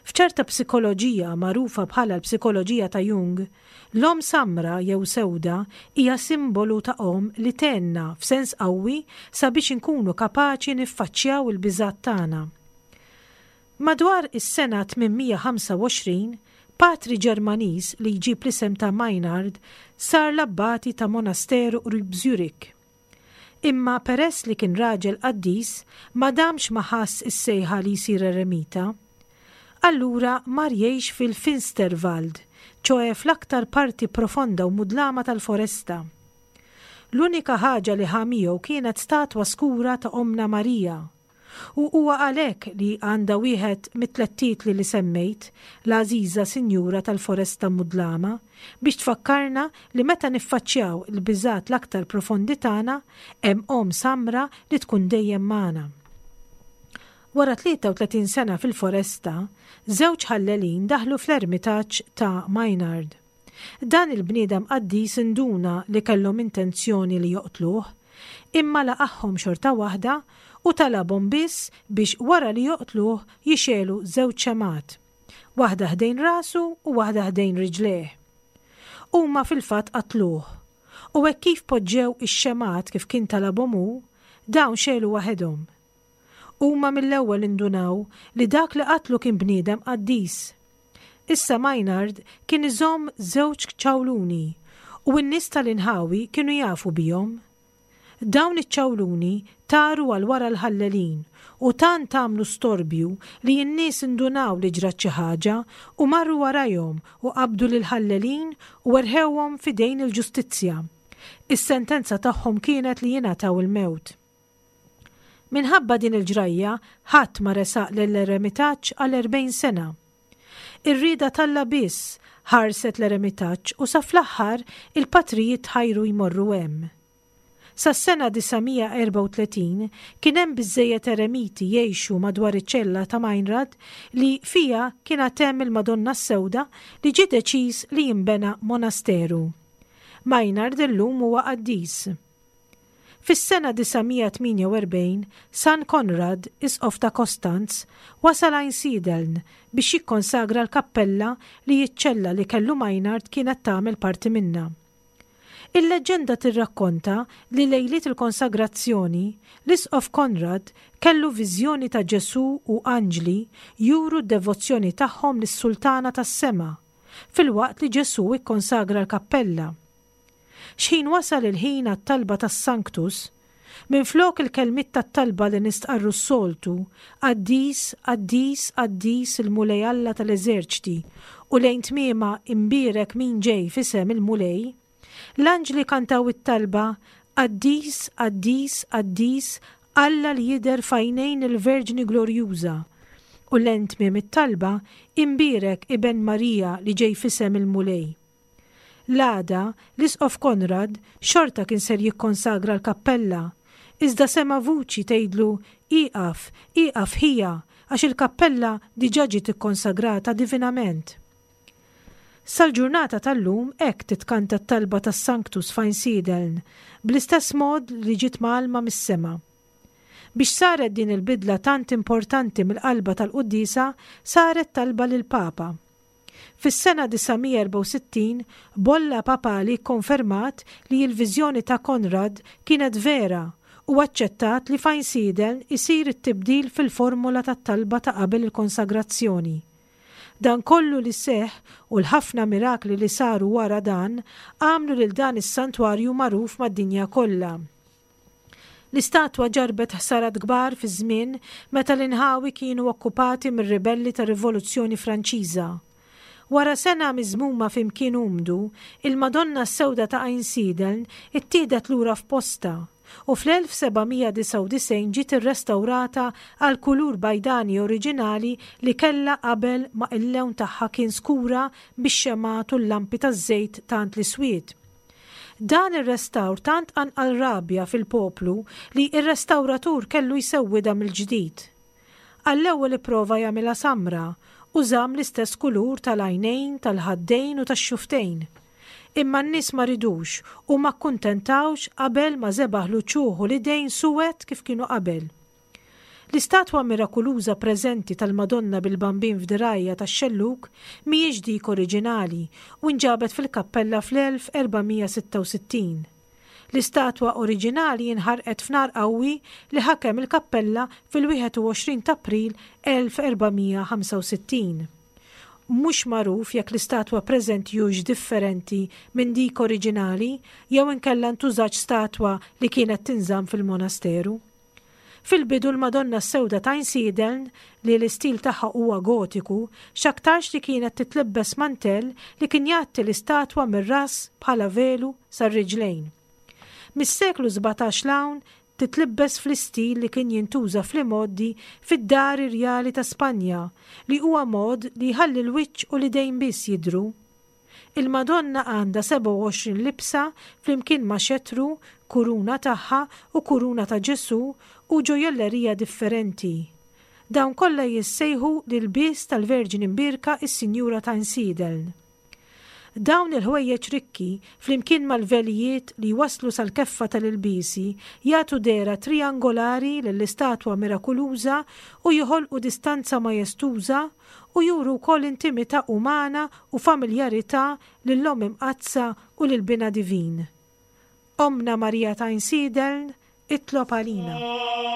F'ċerta psikoloġija magħrufa bħala l-psikoloġija ta' Jung, l-omm samra jew sewda hija simbolu ta' omm li tgħinna f'sens qawwi sabiex inkunu kapaċi niffaċċjaw il-biżgħat tagħna. Madwar is-sena 825, patri Ġermaniż li jġib l-isem ta' Meinhard sar l-abbati ta' monasteru qrib Zürich. Imma peress li kien raġel qaddis, ma damx ma ħass is-sejħa li jsir eremita. Allura mar jgħix fil-Finsterwald, ċoe fl-aktar parti profonda u mudlama tal-foresta. L-unika ħaġa li ħa miegħu kienet statwa skura ta' Ommna Marija. U huwa għalhekk li għandha wieħed mit-tlett titli li semmejt, l-għażiża Sinjura tal-Foresta Mudlama, biex tfakkarna li meta niffaċċjaw il-biżgħat l-aktar profondi tagħna, hemm Omm samra li tkun dejjem magħna. Wara 33 sena fil-foresta, żewġ ħallelin daħlu fl-ermitaġġ ta' Maynard. Dan il-bniedem qaddis induna li kellhom intenzjoni li joqtluh, imma laqagħhom xorta waħda u talabhom biss biex wara li joqtluh jixegħlu żewġ xemgħat, waħda ħdejn rasu u waħda ħdejn riġlejh. Huma fil-fatt qatluh, u hekk kif poġġew ix-xemgħat kif kien talabhom hu, dawn xegħlu waħedhom. Huma mill-ewwel indunaw li dak li qatlu kien bniedem qaddis. Issa Maynard kien iżomm żewġ ċawluni u n-nies tal-inħawi kienu jafu bihom. Dawn iċ-ċawluni taru għal wara l-ħallelin u tant għamlu storbju li n-nies indunaw li ġrat xi ħaġa u marru warajhom u qabdu lill-ħallelin u erħewhom f'idejn il-ġustizzja. Is-sentenza tagħhom kienet li jingħataw il-mewt. Minħabba din il-ġrajja, ħadd ma resaq lill-eremitaġġ għal 40 sena. Ir-rieda t'Alla biss ħarset l-eremitaġġ u sa fl-aħħar il-patrijiet tħajru jmorru hemm. Sas-sena 934 kien hemm biżżejjed eremiti jgħixu madwar iċ-ċella ta' Meinrad li fiha kien għad hemm il-Madonna s-Sewda li ġie deċiż li jinbena monasteru. Meinhard illum huwa qaddis. Fis-sena 948, San Konrad, Isqof ta' Kostanz, wasal Einsiedeln biex jikkonsagra l-kappella li ċ-ċella li kellu Meinhard kienet tagħmel parti minnha. Il-leġġenda tirrakkonta li lejliet il-konsagrazzjoni, l-Isqof Konrad kellu viżjoni ta' Ġesù u anġli juru d-devozzjoni tagħhom lis-Sultana tas-Sema, filwaqt li Ġesù kkonsagra l-kappella. X'ħin wasal il-ħin għat-talba tas-Sanctus, minflok il-kelmiet tat-talba li nistqarru s-soltu, Qaddis, qaddis, qaddis il-Mulej Alla tal-eżerċti, u lejn tmiemha Imbierek min ġej f'isem il-Mulej, l-anġli kantaw it-talba Qaddis, qaddis, qaddis Alla li jidher f'għajnejn il-Verġni Glorjuża, u lejn tmiem it-talba Imbierek Iben Marija li ġej f'isem il-Mulej. L-għada, l-Isqof Konrad xorta kien ser jikkonsagra l-kappella, iżda sema' vuċi tgħidlu Ieqaf, ieqaf ħija, għax il-kappella diġà ġiet ikkonsagrata divinament. Sal-ġurnata tal-lum hekk titkanta t-talba tas-Sanctus f'Einsiedeln, bl-istess mod li ġiet mgħallma mis-sema. Biex saret din il-bidla tant importanti mill-qalba tal-quddiesa saret talba lill-Papa. Fis-sena 964, bolla papali kkonfermat li l-viżjoni ta' Konrad kienet vera u aċċettat li f'Einsiedeln isir it-tibdil fil-formola tat-talba ta' qabel il-konsagrazzjoni. Dan kollu li seħħ u l-ħafna mirakli li saru wara dan għamlu lil dan is-santwarju magħruf mad-dinja kollha. L-istatwa ġarrbet ħsarat kbar fiż-żmien meta l-inħawi kienu okkupati mir-ribelli tar-Rivoluzzjoni Franċiża. Wara sena miżmuma fi mkien umdu, il-Madonna s-Sewda ta' Einsiedeln ittieħdet lura f'postha u fl-1799 ġiet irrestawrata għall-kulur bajdani oriġinali li kellha qabel ma il-lewn tagħha kien skura bix-xemgħat u l-lampi taż-żejt tant li swied. Dan ir-restawr tant qanqal rabja fil-poplu li r-restawratur kellu jsewwidha mill-ġdid. Għall-ewwel ipprova jagħmilha samra u żamm l-istess kulur tal-għajnejn, tal-ħaddejn u tax-xufftejn. Imma n-nies ma ridux u ma kkuntentawx qabel ma żebagħ l-uċuħ u l-idejn suwed kif kienu qabel. L-istatwa mirakuluża preżenti tal-Madonna bil-Bambin f'dirgħajha tax-xellug mhijiex dik oriġinali u nġabet fil-kappella fl-1466. L-istatwa oriġinali inħarqet f'nar qawwi li ħakem il-kappella fil-21 t'April 1465. Mhux magħruf jekk l-istatwa preżenti hux differenti minn dik oriġinali jew inkella ntużatx statwa li kienet tinżamm fil-monasteru. Fil-bidu l-Madonna s-Sewda ta' Einsiedeln, li l-istil tagħha huwa Gotiku, x'aktarx li kienet titlibbes mantell li kien jgħatti l-istatwa mir-ras bħala velu sar-riġlejn. Mis-seklu 17 'l hawn titlibbes fl-istil li kien jintuża fl-imgħoddi fid-dar irjali ta' Spanja, li huwa mod li jħalli l-wiċċ u l-idejn biss jidhru. Il-Madonna għandha 27 libsa flimkien ma' xetru, kuruna tagħha u kuruna ta' Ġesù u ġojjellerija differenti. Dawn kollha jissejħu l-ilbies tal-Verġni Mbierka is-Sinjura ta' Einsiedeln. Dawn il-ħwejjeġ rikki, flimkien mal-velijiet li jwasslu sal-keffa tal-ilbiesi, jagħtu dehra trijangolari lill-istatwa mirakuluża u joħolqu distanza majestuża u juru wkoll intimità umana u familjarità lill-Omm Imqaddsa u lil Binha Divin. Ommna Marija ta' Einsiedeln, itlob għalina.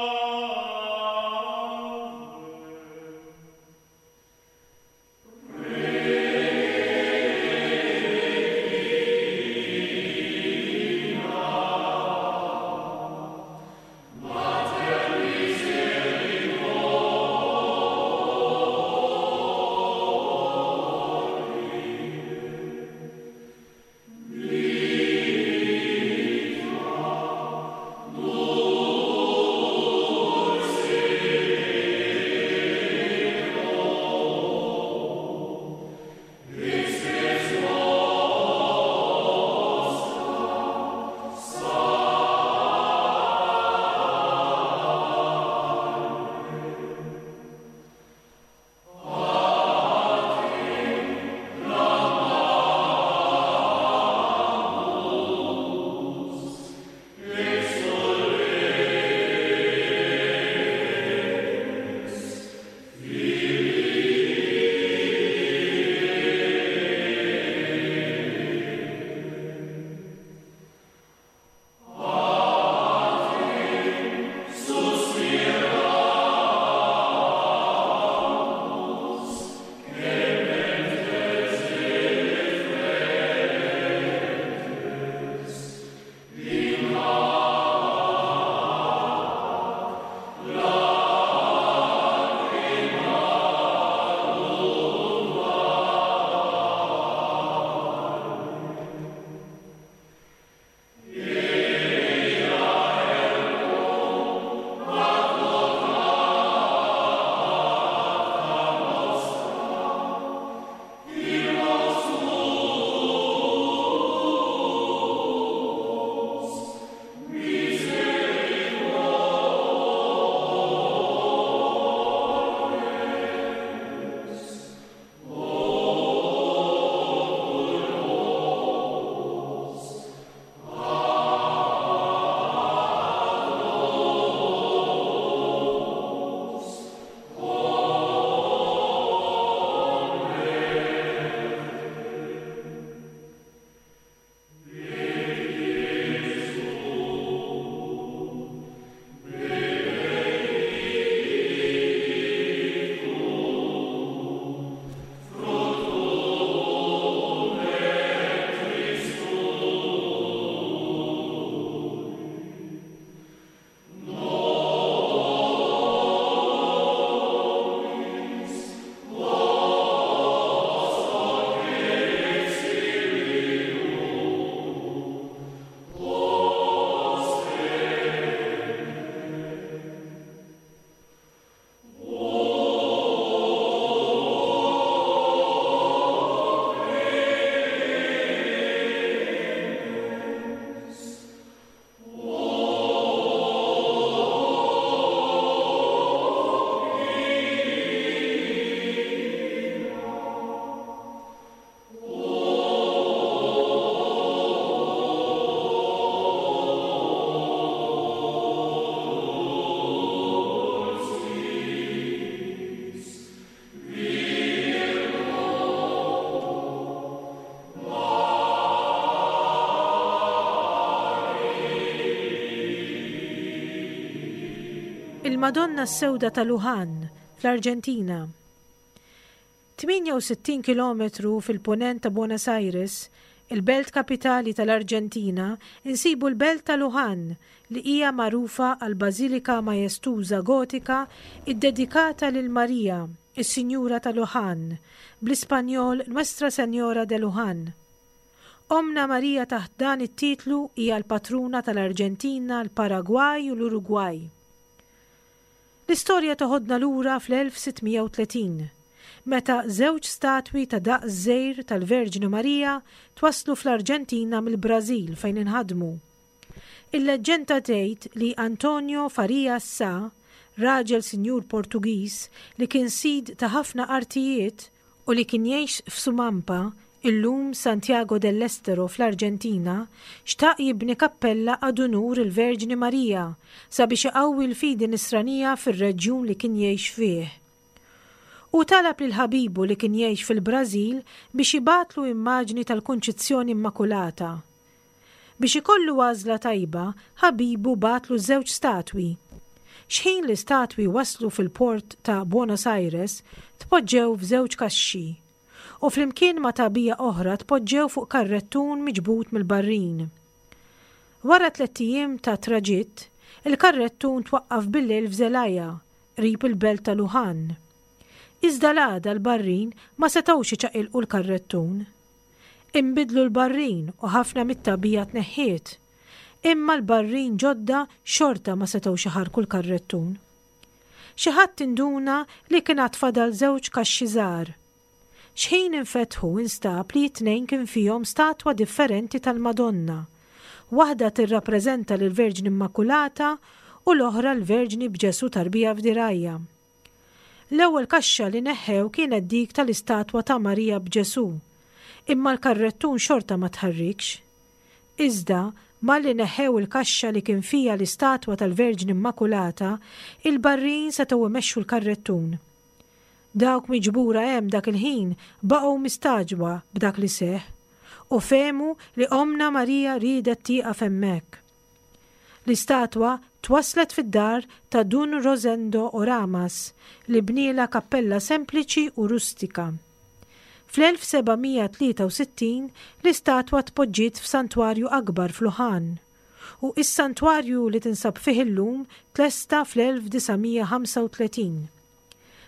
Il-Madonna s-Sewda ta' Luján, fl-Arġentina. 68 kilometru fil-Punent ta' Buenos Aires, il-belt kapitali tal-Arġentina, insibu l-belt ta' Luján, li hija magħrufa għall-bażilika majestuża Gotika ddedikata lil Marija, is-Sinjura ta' Luján, bl-Ispanjol Nuestra Señora de Luján. Ommna Marija taħt dan it-titlu hija l-patruna tal-Arġentina, l-Paragwaj u l-Urugwaj. L-istorja toħodna lura fl-1630, meta żewġ statwi ta' daqs żgħir tal-Verġni Marija twasslu fl-Arġentina mill-Brażil fejn inħadmu. Il-leġġenda tgħid li Antonio Farias Sá, raġel sinjur Portugiż li kien sid ta' ħafna artijiet u li kien jgħix f'Sumampa, illum Santiago del Estero fl-Arġentina, xtaq jibni kappella ad unur il-Verġni Marija sabiex iqawwi l-fidi Nisranija fir-reġjun li kien jgħix fih. Hu talab lil ħabibu li kien jgħix fil-Brażil biex jibgħatlu immaġni tal-Kunċizzjoni Immakulata. Biex ikollu għażla tajba, ħabibu bagħatlu żewġ statwi. Xħin l-istatwi waslu fil-port ta' Buenos Aires, tpoġġew f'żewġ kaxxi u flimkien ma' tagħbija oħra tpoġġew fuq karrettun miġbud mill-barrin. Wara tlett ijiem ta' traġitt, il-karrettun twaqqaf bil-lejl f'Zelaya, qrib il-belt ta' Luján. Iżda l-għada l-barrin ma setgħux iċaqilqu l-karrettun. Inbidlu l-barrin u ħafna mit-tagħbija tneħħiet. Imma l-barrin ġodda xorta ma setgħux iħarrku l-karrettun. Xi ħadd induna li kien għad fadal żewġ kaxxi żgħar. X'ħin infetħu instab li t-tnejn kien fihom statwa differenti tal-Madonna. Waħda tirrappreżenta lill-Verġni Immakulata u l-oħra l-Verġni b'Ġesù tarbija f'dirgħajha. L-ewwel kaxxa li neħħew kienet dik tal-istatwa ta' Marija b'Ġesù. Imma l-karrettun xorta ma tħarrikx. Iżda, malli neħħew il-kaxxa li kien fiha l-istatwa tal-Verġni Immakulata, il-barrin setgħu imexxu l-karrettun. Dawk miġbura hemm dak il-ħin baqgħu mistagħġba b'dak li seħħ, u fehmu li Ommna Marija riedet tieqaf hemmhekk. L-istatwa twasslet fid-dar ta' Dun Rosendo Oramas li bnielha kappella sempliċi u rustika. Fl-1763 l-istatwa tpoġġiet f'santwarju akbar f'Luján, u s-santwarju li tinsab fih illum tlesta fl-1935.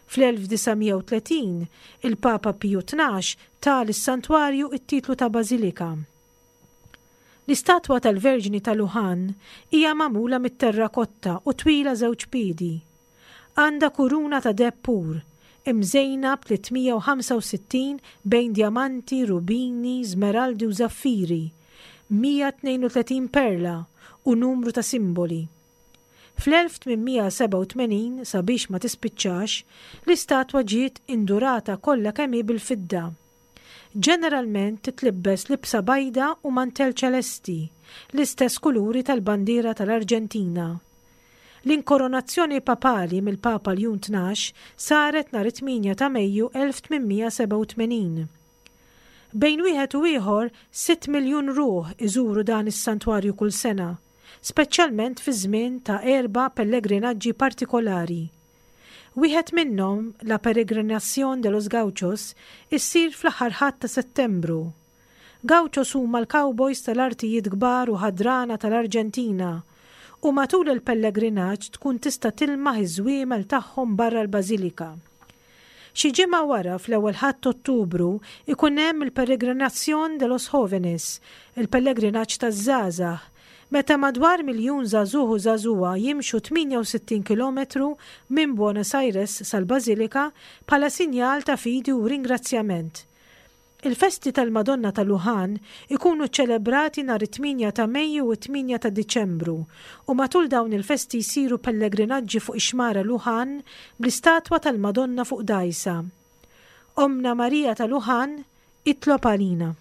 Fl-1930 il-Papa Piju Tnax ta lis-santwarju t-titlu ta' bażilika. L-istatwa tal-Verġni ta' Luján hija magħmula mit-terrakotta u twila żewġ piedi. Għandha kuruna ta' deheb pur, imżejna b'365 bejn djamanti, rubini, żmeraldi u żaffiri, 132 perla u numru ta' simboli. Fl-1887, sabiex ma tispiċċax, l-istatwa ġiet indurata kollha kemm hi bil-fidda. Ġeneralment titlibbes libsa bajda u mantell ċelesti, l-istess kuluri tal-bandiera tal-Arġentina. L-inkoronazzjoni papali mill-Papa Ljun 12 saret nhar it-8 ta' Mejju 1887. Bejn wieħed u ieħor, 6 miljun ruħ iżuru dan is-santwarju kull sena, speċjalment fiż-żmien ta' erba' pellegrinaġġi partikolari. Wieħed minnhom, La Peregrinación de los Gauchos, issir fl-aħħar Ħadd ta' Settembru. Gauchos huma l-cowboys tal-artijiet kbar u ħadrana tal-Arġentina, u matul il-pellegrinaġġ tkun tista' tilmaħ iż-żwiemel tagħhom barra l-bażilika. Xi ġimgħa wara, fl-ewwel Ħadd t'Ottubru, ikun hemm il-Peregrinación de los Jóvenes, il-pellegrinaġġ taż-żgħażagħ, meta madwar miljun żagħżugħ u żagħżugħa jimxu 68 kilometru minn Buenos Aires sal-Bażilika bħala sinjal ta' fidi u ringrazzjament. Il-festi tal-Madonna ta' Luján ikunu ċċelebrati nhar it-8 ta' Mejju u t-8 ta' Diċembru u matul dawn il-festi jsiru pellegrinaġġi fuq ix-xmara Luján bl-istatwa tal-Madonna fuq dgħajsa. Ommna Marija ta' Luján, itlob għalina.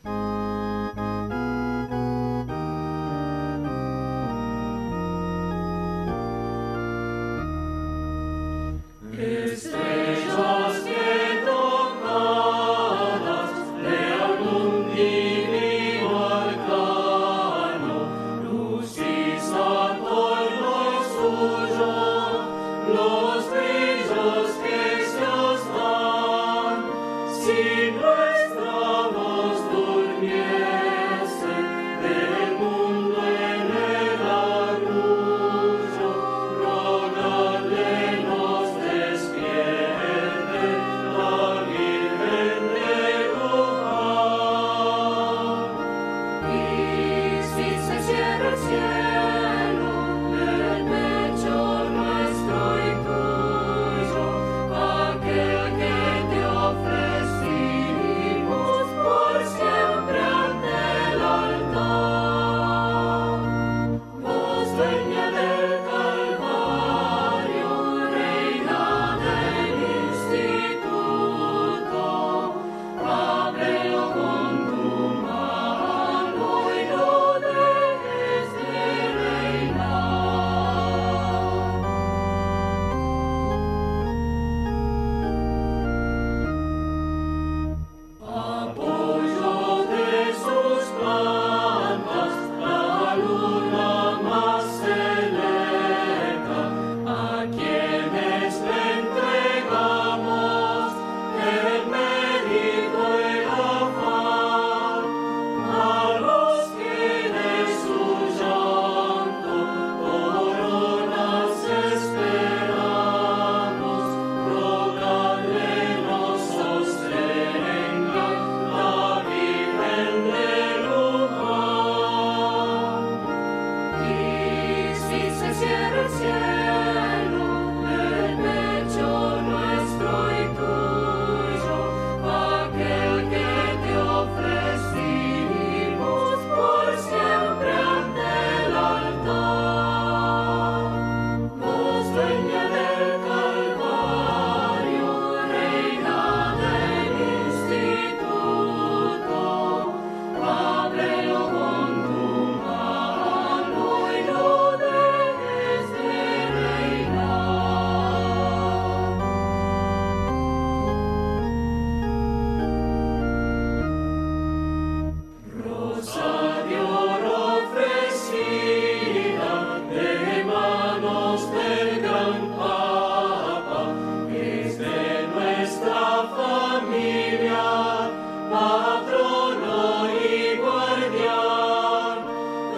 Familia, patrono y guardián,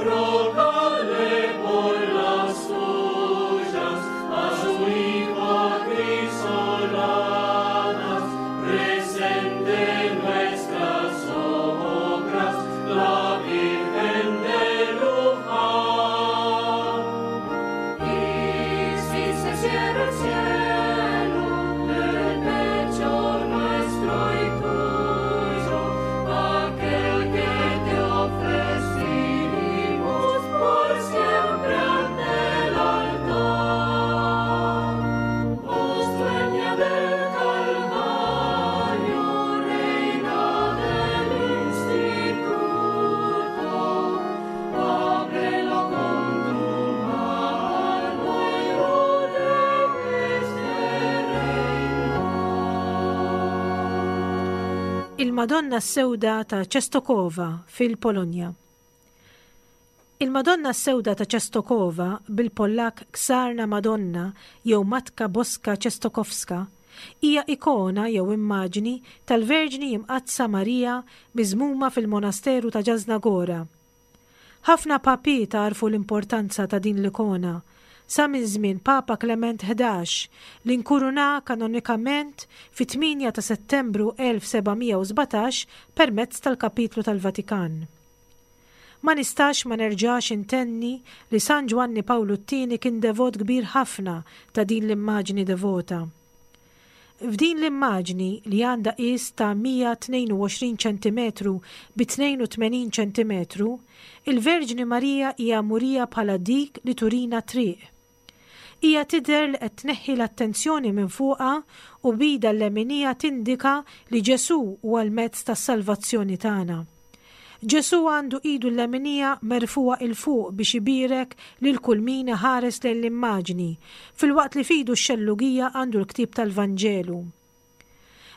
rogadle por las suyas, a su Hijo crisoladas, presente nuestras obras, la Virgen de Luján. Y si se cierra el cielo del pecho nuestro y tuyo, aquel que te ofrecimos por siempre ante el altar. Voz dueña del Calvario, reina del instituto, ábrelo con tu mano y no dejes de reinar. Il-Madonna s-Sewda ta' Częstochowa fil-Polonja. Il-Madonna s-Sewda ta' Częstochowa, bil-Pollakk Czarna Madonna jew Matka Boska Częstochowska, hija ikona jew immaġni tal-Verġni Imqaddsa Marija miżmuma fil-Monasteru ta' Jasna Góra. Ħafna papiet għarfu l-importanza ta' din l-ikona sa minn żmien Papa Klement 11 li nkuruna kanonikament fit-8 ta' Settembru 1717 permezz tal-Kapitlu tal-Vatikan. Ma nistax ma nerġax intenni li San Ġwanni Pawlu t-Tieni kien devot kbir ħafna ta' din l-immaġni devota. F'din l-immaġni li għandha qies ta' 122 ċentimetru bi 82 ċentimetru, il-Verġni Marija hija murija bħala dik li turina t-triq. Hija tidher li qed tneħħi l-attenzjoni minn fuqha u b'idha l-leminija tindika li Ġesù huwa l-mezz tas-salvazzjoni tagħna. Ġesù għandu idu l-leminija merfugħa 'il fuq biex ibierek lil kull min iħares lejn l-immaġni, filwaqt li f'idu x-xellugija għandu l-ktieb tal-Vanġelu.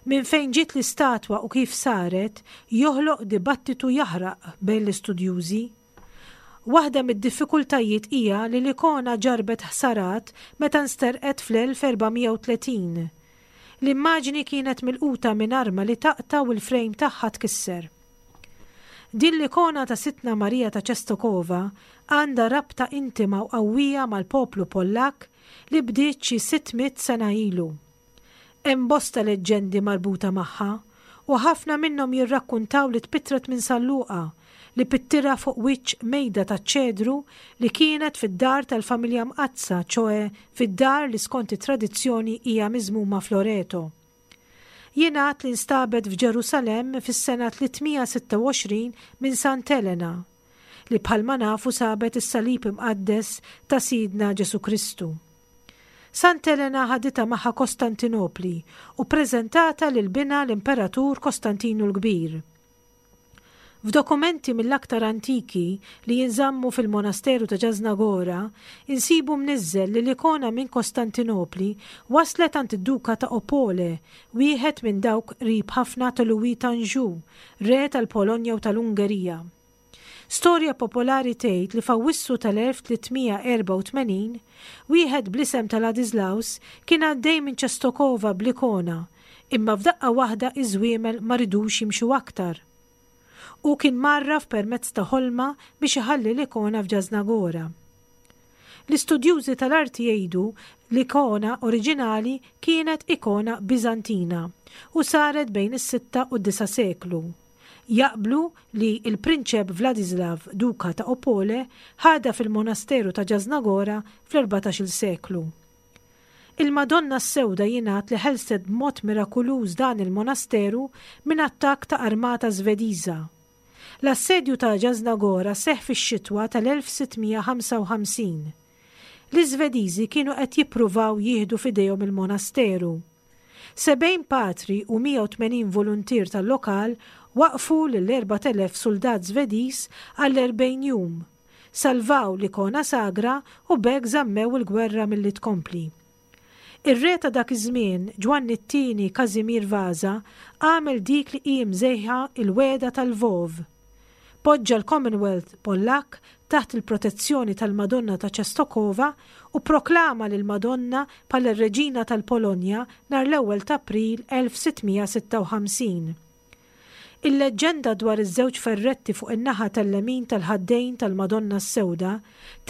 Minn fejn ġiet l-istatwa u kif saret joħloq dibattitu jaħraq bejn l-istudjużi. Waħda mid-diffikultajiet hija li l-ikona ġarrbet ħsarat meta nsterqet fl-1430. L-immaġni kienet milquta minn arma li taqta' u l-frejm tagħha tkisser. Din l-ikona ta' Sidtna Marija ta' Częstochowa għandha rabta intima u qawwija mal-poplu Pollakk li bdiet xi 600 sena ilu. Hemm bosta leġġendi marbuta magħha u ħafna minnhom jirrakkuntaw li tpittret minn San Luqa li pittirha fuq wiċċ mejda taċ-ċedru li kienet fid-dar tal-familja mqaddsa, ċoe fid-dar li skont it-tradizzjoni hija miżmuma f'Loreto. Jingħad li nstabet f'Ġerusalemm fis-sena 326 minn Sant Elena, li bħalma nafu sabet is-salib imqaddes ta' Sidna Ġesù Kristu. Sant Elena ħaditha magħha Kostantinopli u ppreżentatha lil binha l-Imperatur Kostantinu l-Kbir. F'dokumenti mill-aktar antiki li jinżammu fil-monasteru ta' Jasna Góra, insibu mniżżel li l-ikona minn Kostantinopli waslet għand id-Duka ta' Opole, wieħed minn dawk qrib ħafna ta' Louis t'Anjou, re tal-Polonja u tal-Ungerija. Storja popolari tgħid li f'Awwissu tal-1384, wieħed bl-isem ta' Ladislaus kien għaddej minn Częstochowa bl-ikona, imma f'daqqa waħda iż-żwiemel ma ridux jimxu aktar. Hu kien mgħarraf permezz ta' ħolma biex iħalli l-ikona f'Jasna Góra. L-istudjużi tal-arti jgħidu l-ikona oriġinali kienet ikona Biżantina u saret bejn is-sitta u d-disa' seklu. Jaqblu li l-Prinċep Vladislav, Duka ta' Opole, ħadha fil-monasteru ta' Jasna Góra fl-erbatax-il seklu. Il-Madonna s-Sewda jingħad li ħelset b'mod mirakuluż dan il-monasteru minn attakk ta' armata Svediża. L-assedju ta' Jasna Góra seħħ fix-xitwa tal-1655. L-Iżvediżi kienu qed jippruvaw jieħdu f'idejhom il-monasteru. 70 patri u 180 voluntier tal-lokal waqqfu lil 4,000 suldat Svediż għall-40 jum. Salvaw l-ikona sagra u b'hekk żammew il-gwerra milli tkompli. Ir-re ta' dak iż-żmien, Ġwanni t-Tieni Kazimir Vaza, għamel dik li hi msejħa il-Wegħda tal-Lvov. Poġġa l-Commonwealth Pollakk taħt il-protezzjoni tal-Madonna ta' Częstochowa u pproklama lill-Madonna bħala r-Reġina tal-Polonja nhar l-ewwel t'April 1656. Il-leġġenda dwar iż-żewġ ferretti fuq in-naħa tal-lemin tal-ħaddejn tal-Madonna s-Sewda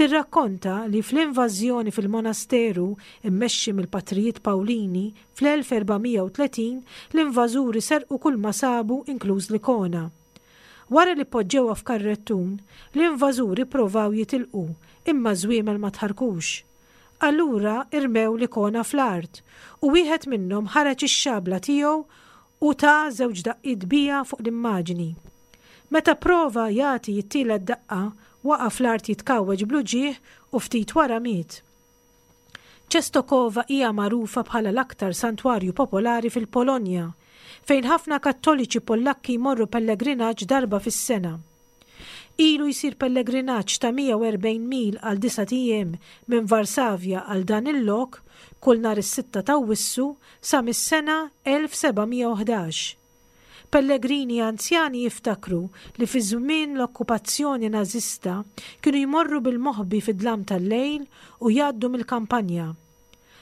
tirrakkonta li fl-invażjoni fil-monasteru mmexxi mill-patrijiet Pawlini fl-1430 l-invażuri serqu kulma sabu inkluż l-ikona. Wara li poġġewha f'karrettun, l-invażuri pprovaw jitilqu, imma ż-żwiemel ma tħarrkux. Allura rmew l-ikona fl-art, u wieħed minnhom ħareġ ix-xabla tiegħu u ta żewġ daqqiet biha fuq l-immaġni. Meta pprova jagħti t-tielet daqqa, waqa' fl-art jitkawweġ bl-uġigħ u ftit wara miet. Częstochowa hija magħrufa bħala l-aktar santwarju popolari fil-Polonja, fejn ħafna Kattoliċi Pollakki jmorru pellegrinaġġ darba fis-sena. Ilu jsir pellegrinaġġ ta' 140 mil għal disat ijiem minn Varsavja għal dan il-lok kull nhar is-sitta t'Awwissu sa mis-sena 1711. Pellegrini anzjani jiftakru li fi żmien l-okkupazzjoni Nażista kienu jmorru bil-moħbi fid-dlam tal-lejl u jgħaddu mill-kampanja.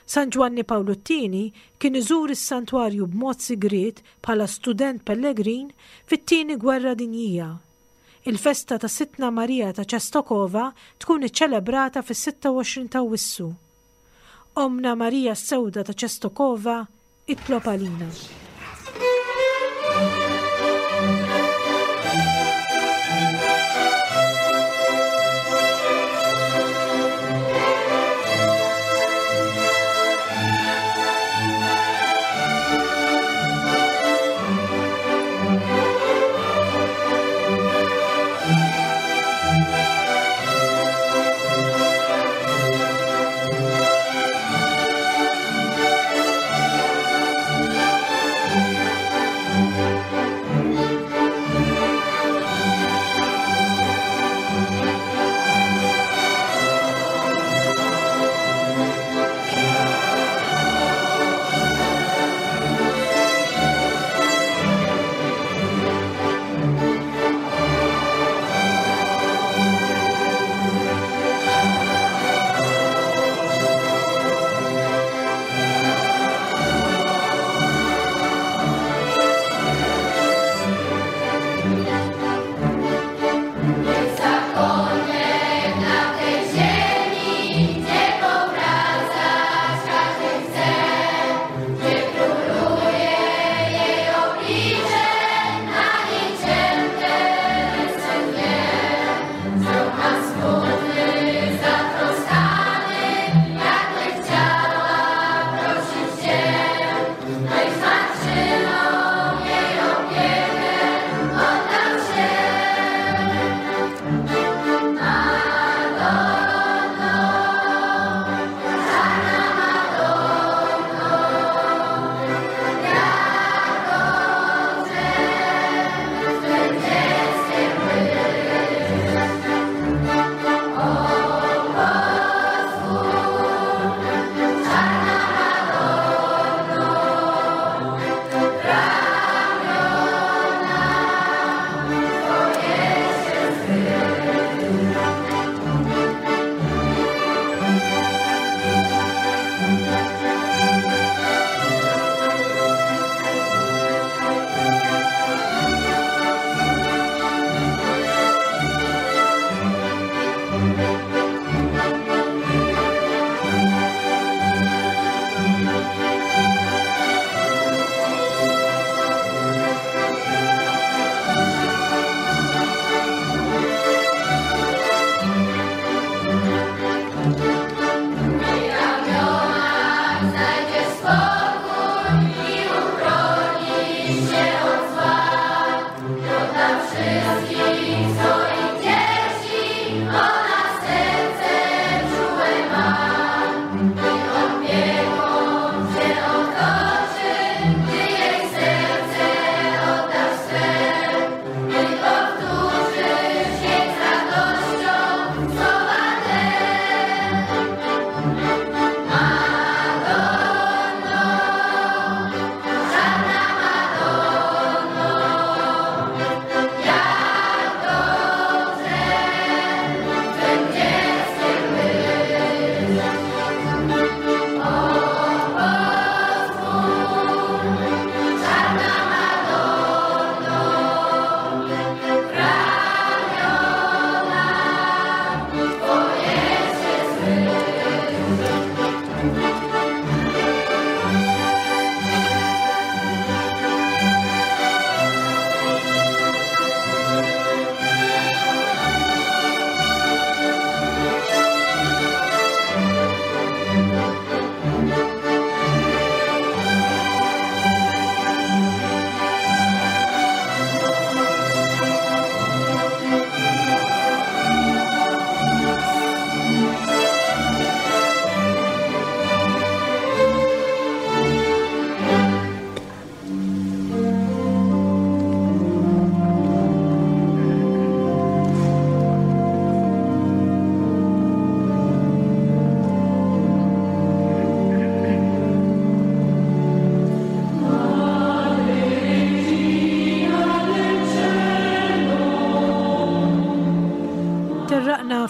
San Ġwanni Pawlu t-Tieni kien iżur is-santwarju b'mod sigriet bħala student pellegrin fit-Tieni Gwerra Dinjija. Il-festa ta' Sidtna Marija ta' Częstochowa tkun iċċelebrata fis-26 t'Awwissu. Ommna Marija s-Sewda ta' Częstochowa Itlob għalina.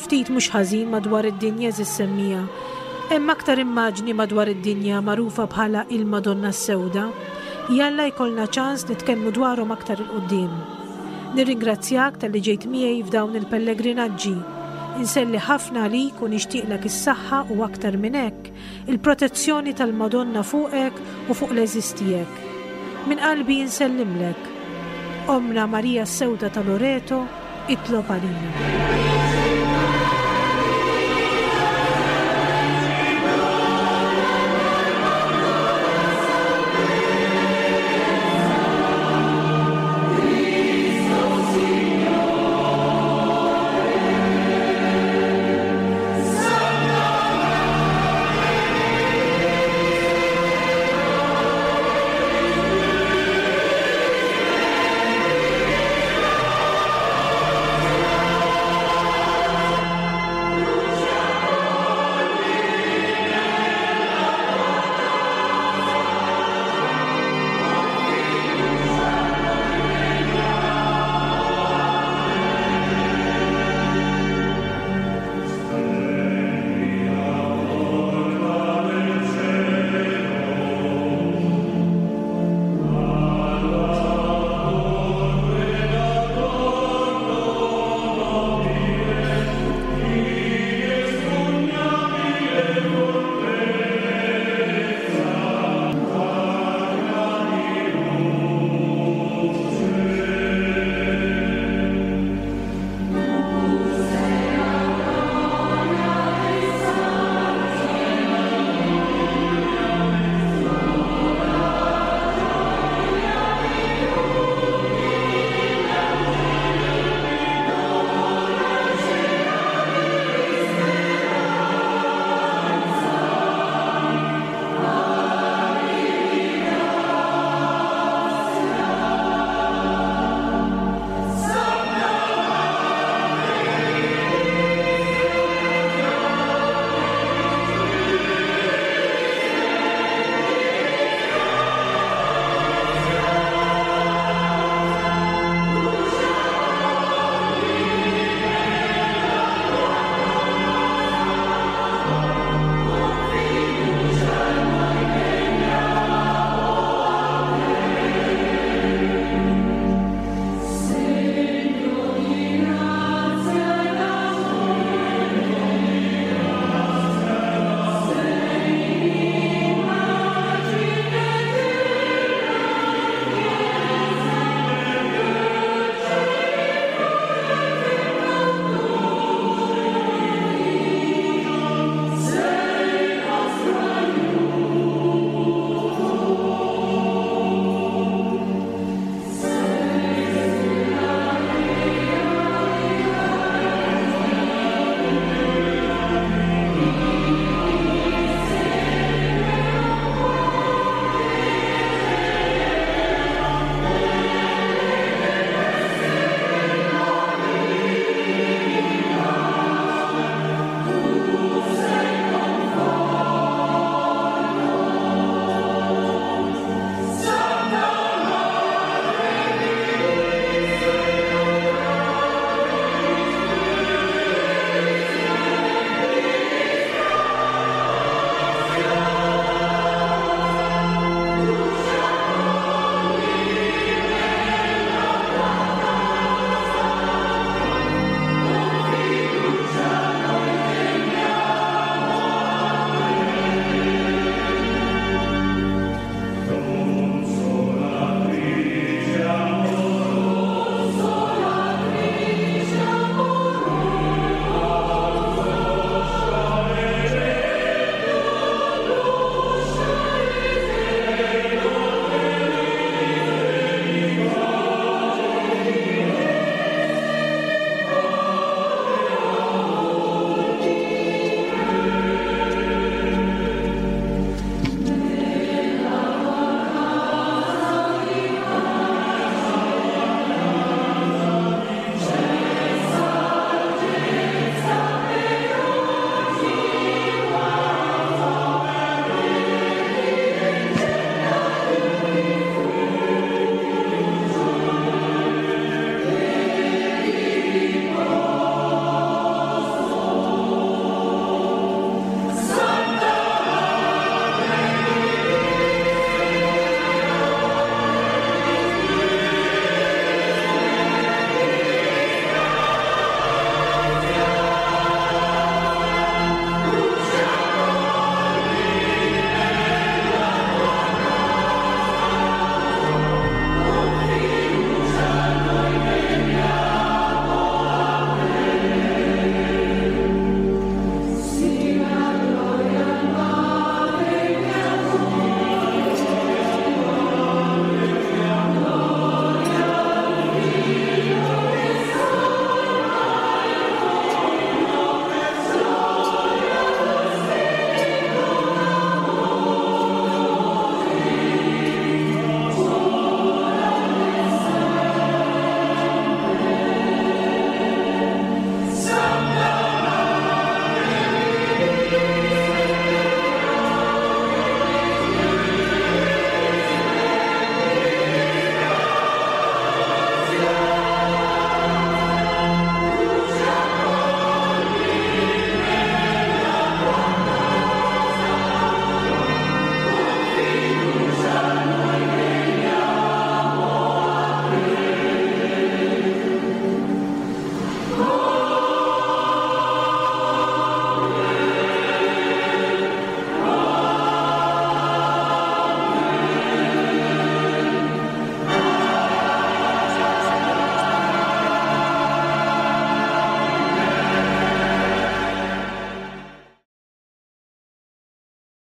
ftit mhux ħażin madwar id-dinja għeżież semmiegħa. Hemm aktar immaġni madwar id-dinja magħrufa bħala il-Madonna s-Sewda. Jalla jkollna ċans nitkellmu dwarhom aktar 'il quddiem. Nirringrazzjak talli ġejt miegħi f'dawn il-pellegrinaġġi. Inselli ħafna għalik u nixtieqlek is-saħħa u aktar minn hekk, il-protezzjoni tal-Madonna fuqek u fuq l-għeżież tiegħek. Minn qalbi insellimlek. Ommna Marija s-Sewda ta' Loreto, itlob għalina.